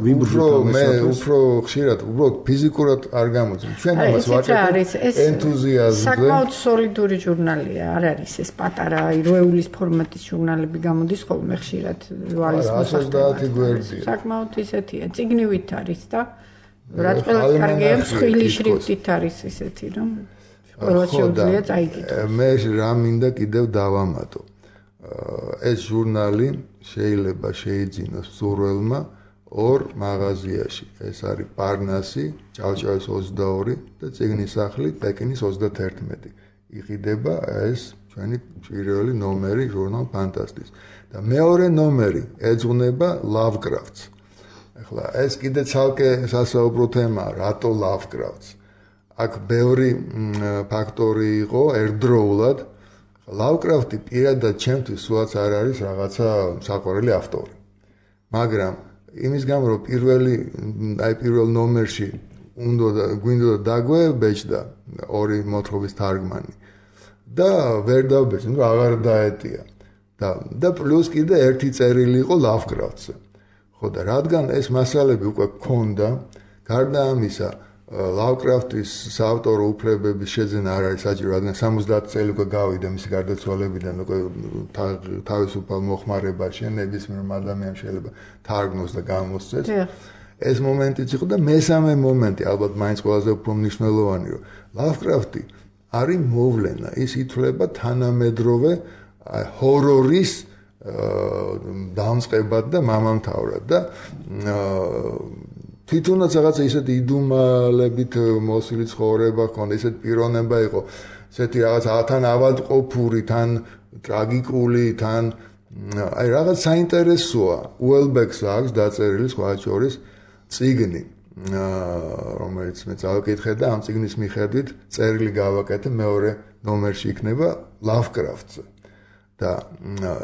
[SPEAKER 3] უფრო ხშირად უბრალოდ ფიზიკურად არ გამოწვევ. ჩვენ ამას ვაჭრობთ ენთუზიაზმზე.
[SPEAKER 2] საკმაოდ სოლიდური ჟურნალია, არ არის ეს პატარა როეულის ფორმატის ჟურნალები გამოდის ხოლმე ხშირად ვალის მოსახლეობად.
[SPEAKER 3] 130 გვერდია.
[SPEAKER 2] საკმაოდ ისეთია, წიგნივით არის და რაც ყველას კარგია, მსხვილი შრიფტით არის ისეთი, რომ ყველა შეუძლია წაიკითხოს.
[SPEAKER 3] მე რა მინდა კიდევ დავამატო. ეს ჟურნალი შეიძლება შეიძინოს მსურველმა ორ მაღაზიაში. ეს არის პარნასი, ჭავჭავაძის 22 და წიგნის სახლი, პეკინის 31. იყიდება ეს ჩვენი პირველი ნომერი ჟურნალ ფანტასტის. და მეორე ნომერი ეძღვნება ლავკრაფტს. ახლა ეს კიდე ცალკე სასაუბრო თემაა, რატო ლავკრაფტს. აქ ბევრი ფაქტორი იყო ერთდროულად. ლავკრაფტი პირადად ჩემთვის სულაც არ არის რაღაცა საყვარელი ავტორი. მაგრამ იმის გამო რომ პირველ ნომერში გვინდოდა დაგვებეჭდა ორი მოთხრობის თარგმანი და ვერ დავბეჭდი, ნუ აღარ დაეტია. და პლუს კიდე ერთი წერილი იყო ლავკრაფტზე. ხო და რადგან ეს მასალები უკვე გქონდა, გარდა ამისა, ლავკრაფტის საავტორო უფლებების შეძენა არ არის საჭირო, რადგან 70 წელი უკვე გავიდა მისი გარდაცვალებიდან, უკვე თავისუფალ მოხმარებაში ნებისმიერ ადამიანს შეიძლება თარგმნოს და გამოსცეს. ეს მომენტიც იყო და მესამე მომენტი, ალბათ მაინც ყველაზე უფრო მნიშვნელოვანი, რომ ლავკრაფტი არის მოვლენა, ის ითვლება თანამედროვე ჰორორის დამწყებად და მამამთავრად და თვითონაც რაღაცა ისეთი იდუმალებით მოსილი ცხოვრება ჰქონდა, ისეთი პიროვნება იყო, ესეთი რაღაცა თან ავადმყოფური, თან ტრაგიკული, თან აი რაღაც საინტერესოა. უელბეკს აქვს დაწერილი სხვა შორის წიგნი, რომელიც მე წავიკითხე და ამ წიგნის მიხედვით წერილი გავაკეთე მეორე ნომერში იქნება ლავკრაფტზე. და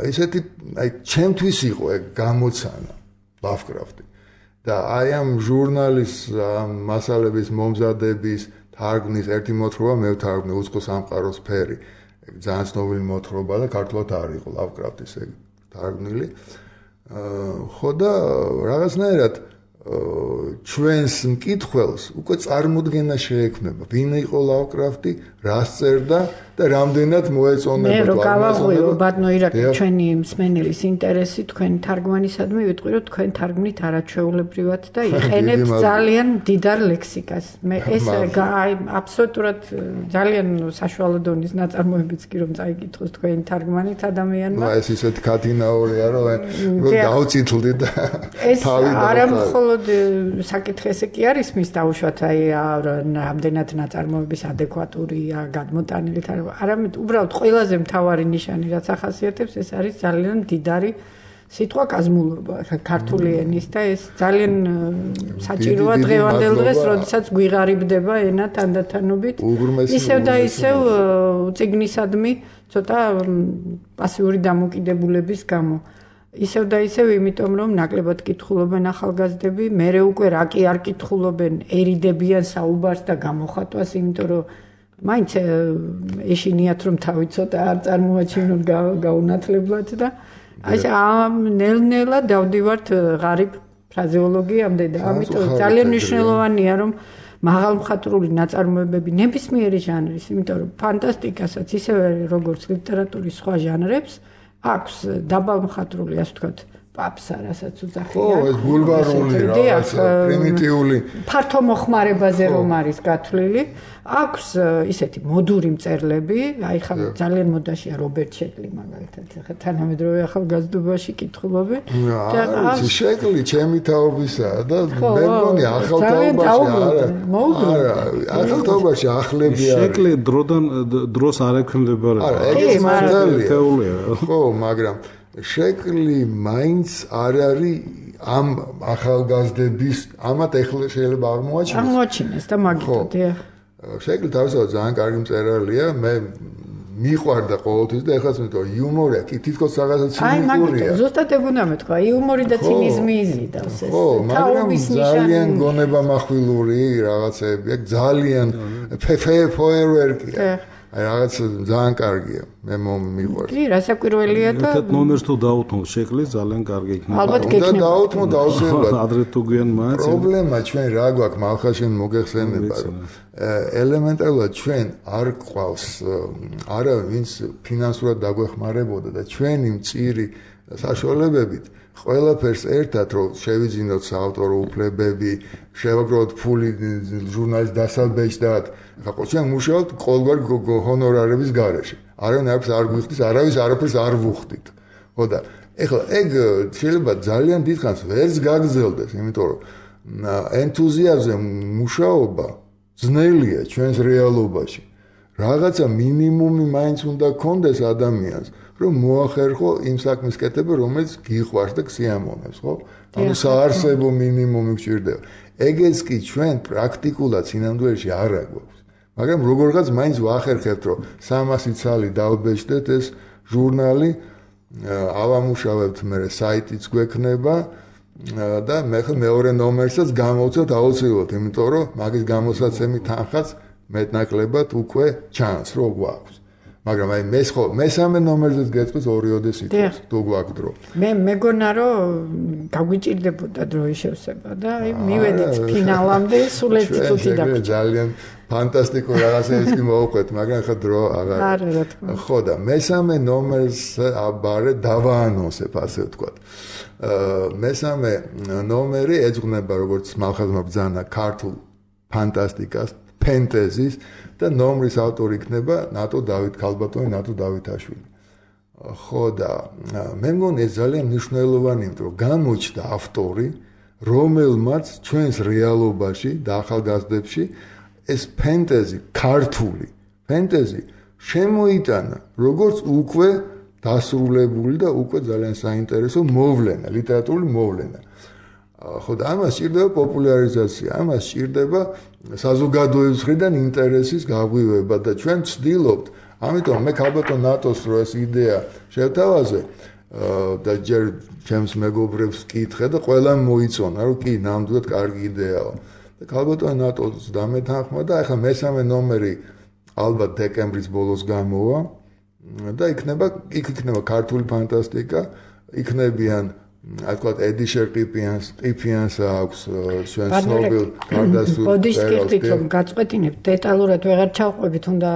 [SPEAKER 3] ესეთი აი ჩემთვის იყო ეგ გამოცანა ლავკრაფტი და აი ამ ჟურნალის მასალების მომზადების თარგმნის ერთი მოთხრობა მე ვთარგმნე უცხო სამყაროს ფერი ეგ ძალიან ცნობილი მოთხრობა და ქართულად არ იყო ლავკრაფტის ეგ თარგმნილი ხო და რაღაცნაირად ჩვენს მკითხველს უკვე წარმოდგენა შეექმნება ვინ იყო ლავკრაფტი რას წერდა და რამდენად მოეწონება
[SPEAKER 2] მე რო გავაღვიო ბატონო ირაკლი ჩვენი მსმენელის ინტერესი თქვენი თარგმანისადმი ვიტყვი რომ თქვენ თარგმნით არაჩვეულებრივად და იყენებთ ძალიან მდიდარ ლექსიკას მე ეს აი აბსოლუტურად ძალიან საშუალო დონის ნაწარმოებიც კი რომ წაიკითხოს თქვენი თარგმანით ადამიანმა
[SPEAKER 3] ეს ისეთი კათინაურია რომ გავწითლდი და
[SPEAKER 2] თავი არა მხოლოდ საკითხი ესე კი არის მის დაუშვათ აი რამდენად ნაწარმოების ადეკვატურია გადმოტანილი არამედ უბრალოდ ყველაზე მთავარი ნიშანი რაც ახასიათებს ეს არის ძალიან მდიდარი სიტყვა კაზმულობა ქართული ენის და ეს ძალიან საჭიროა დღევანდელ დღეს როდესაც გვიღარიბდება ენა თანდათანობით ისევ და ისევ წიგნისადმი ცოტა პასიური დამოკიდებულების გამო ისევ და ისევ იმიტომ რომ ნაკლებად კითხულობენ ახალგაზრდები მერე უკვე რა კი არ კითხულობენ ერიდებიან საუბარს და გამოხატვას იმიტომ რომ მაინც ეშინიათ რომ თავი ცოტა არ წარმოაჩინოთ გაუნათლებლად და აი ამ ნელ-ნელა დავდივართ ღარიბ ფრაზეოლოგიამდე და ამიტომ ძალიან მნიშვნელოვანია რომ მაღალმხატვრული ნაწარმოებები ნებისმიერი ჟანრის იმიტომ რომ ფანტასტიკასაც ისევე როგორც ლიტერატურის სხვა ჟანრებს აქვს დაბალმხატვრული ასე ვთქვათ პაპსა რასაც უძახიან.
[SPEAKER 3] ხო, ეს ბულვარული რაღაცა პრიმიტიული
[SPEAKER 2] ფართო მოხმარებაზე რომ არის გათვლილი, აქვს ისეთი მოდური მწერლები, აი ხა ძალიან მოდაშია რობერტ შეკლი მაგალითად, ხა თანამედროვე ახალგაზრდობაში კითხულობენ
[SPEAKER 3] და არის შეკლი ჩემი თაობისაა და მე მგონი ახალთაობაში ახლები არის.
[SPEAKER 4] შეკლი დროდან დროს არ ექვემდებარება.
[SPEAKER 3] არა, ეგეც მართალია. ხო, მაგრამ შეკლი მაინც არ არის ამ ახალგაზრდების ამათ ეხლა შეიძლება
[SPEAKER 2] აღმოაჩინეს და მაგითო დიახ
[SPEAKER 3] შეკლი თავისთავად ძალიან კარგი მწერალია მე მიყვარდა ყოველთვის და ეხლაც მეტყვი იუმორია კი თითქოს რაღაცა ცინიკურია
[SPEAKER 2] აი მაგითო ზუსტად ეგუნა მეთქვა იუმორი და ცინიზმი იზიდავს ეს
[SPEAKER 3] მაგრამ ძალიან გონებამახვილური რაღაცები ძალიან ფეერვერკია აი რაღაც ძალიან კარგია მე მიყვარს
[SPEAKER 2] კი რასაკვირველია და
[SPEAKER 4] ერთ ნომერს თუ დაუთმო შეკლი ძალიან კარგი იქნება
[SPEAKER 2] ალბათ გექნება
[SPEAKER 3] დაუთმო დაუსრულებლად
[SPEAKER 4] ადრე თუ გვიან მაინც
[SPEAKER 3] პრობლემა ჩვენ რა გვაქვს მალხაშენ მოგეხსენება რომ ელემენტარულად ჩვენ არ ყავს არა ვინც ფინანსურად დაგვეხმარებოდა და ჩვენი მწირი საშუალებებით ყველაფერს ერთად რომ შევიძინოთ საავტორო უფლებები, შევაგროვოთ ფული ჟურნალის დასალბეჭდად, ახლა ჩვენ მუშაობთ ყოველგვარ ჰონორარების გარეშე. არავინ არაფერს არ გვიხდის, არავის არაფერს არ ვუხდით. ხო და ეხლა ეგ შეიძლება ძალიან დიდხანს ვერც გაგრძელდეს, იმიტომ რომ ენთუზიაზმზე მუშაობა ძნელია ჩვენს რეალობაში. რაღაცა მინიმუმი მაინც უნდა გქონდეს ადამიანს. რომ მოახერხო იმ საქმის კეთება, რომელიც გიყვარს და გსიამოვნებს, ხო? ანუ საარსებო მინიმუმი გჭირდება. ეგეც კი ჩვენ პრაქტიკულად სინამდვილეში არ აგვაქვს. მაგრამ როგორღაც მაინც ვახერხებთ, რომ 300 ცალი დავბეჭდეთ ეს ჟურნალი, ავამუშავებთ მე საიტიც გვექნება და მე მეორე ნომერსაც გამოვცეთ აუცილებლად, იმიტომ რომ მაგის გამოსაცემი თანხაც მეტნაკლებად უკვე ჩანს, რომ გვაქვს. მაგრამ აი მესამე ნომერზეც გეწყვის 2-ოდეს იტყვას თუ გვაქვს დრო.
[SPEAKER 2] მე მეგონა რომ გაგვიჭირდებოდა დროის შევსება და აი მივედით ფინალამდე სულ ერთი წუთი დაგვრჩა.
[SPEAKER 3] ძალიან ფანტასტიკურ რაღაცებს კი მოვყვეთ, მაგრამ ხა დრო აღარ. ხო და მესამე ნომერს აბარე დავაანონსებ ასე ვთქვათ. მესამე ნომერი ეძღვნება როგორც მალხაზმა ბრძანა ქართულ ფანტასტიკას, ფენტეზის და ნომრის ავტორი იქნება ნატო დავით ქალბატონი, ნატო დავითაშვილი. ხო და მე მგონი ეს ძალიან მნიშვნელოვანია, იმიტომ რომ გამოჩნდა ავტორი, რომელმაც ჩვენს რეალობაში და ახალგაზრდებში ეს ფენტეზი, ქართული ფენტეზი შემოიტანა, როგორც უკვე დასრულებული და უკვე ძალიან საინტერესო მოვლენა, ლიტერატურული მოვლენა. ხო და ამას სჭირდება პოპულარიზაცია, ამას სჭირდება საზოგადოების მხრიდან ინტერესის გაღვივება და ჩვენ ვცდილობთ, ამიტომ მე ქალბატონ ნატოს რო ეს იდეა შევთავაზე და ჯერ ჩემს მეგობრებს ვკითხე და ყველამ მოიწონა, რომ კი ნამდვილად კარგი იდეაა. და ქალბატონ ნატოს დამეთანხმა და ახლა მესამე ნომერი ალბათ დეკემბრის ბოლოს გამოვა და იქნება ქართული ფანტასტიკა, იქნებიან აი თქვა ედიშერ ყიფიანს აქვს ჩვენ ცნობილ გარდასულ
[SPEAKER 2] ბოდიშკირთით რომ გაწყვეტინებთ დეტალურად ვეღარ ჩავყვებით უნდა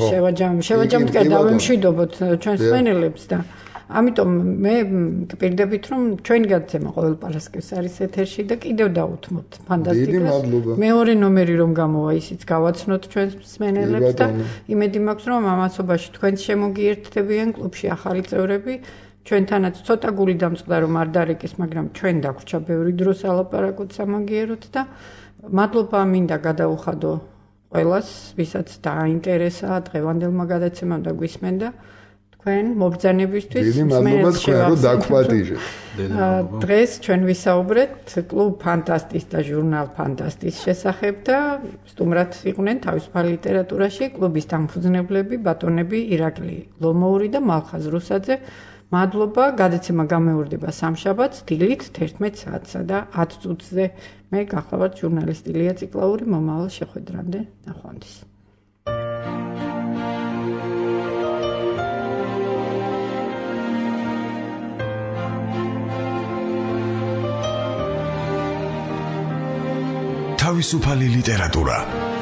[SPEAKER 2] შევაჯამოთ კი დავემშვიდობოთ ჩვენს სმენელებს და ამიტომ მე გპირდებით რომ ჩვენი გადაცემა ყოველ პარასკევს არის ეთერში და კიდევ დავუთმოთ ფანტასტიკას მეორე ნომერი რომ გამოვა ისიც გავაცნოთ ჩვენს სმენელებს და იმედი მაქვს რომ ამასობაში თქვენს შემოგიერთდებიან კლუბში ახალი წევრები ჩვენთანაც ცოტა გული დამწყდა რომ არ დარეკეს, მაგრამ ჩვენ დაგვრჩა ბევრი დრო სალაპარაკოთ სამაგიეროთ და მადლობა მინდა გადაუხადო ყველას, ვისაც დააინტერესა დღევანდელმა გადაცემამ და გვისმენდა თქვენ მობრძანებისთვის.
[SPEAKER 3] დიდი მადლობა თქვენ რომ დაგვპატიჟეთ.
[SPEAKER 2] დღეს ჩვენ ვისაუბრეთ კლუბ ფანტასტის და ჟურნალ ფანტასტის შესახებ და სტუმრად იყვნენ თავისუფალ ლიტერატურაში კლუბის დამფუძნებლები ბატონები ირაკლი ლომოური და მალხაზ რუსაძე. მადლობა, გადაცემა გამეორდება სამშაბათს დილით 11 საათსა და 10 წუთზე. მე გახლავართ ჟურნალისტი ლია ციკლაური, მომავალ შეხვედრამდე ნახვამდის.
[SPEAKER 1] თავისუფალი ლიტერატურა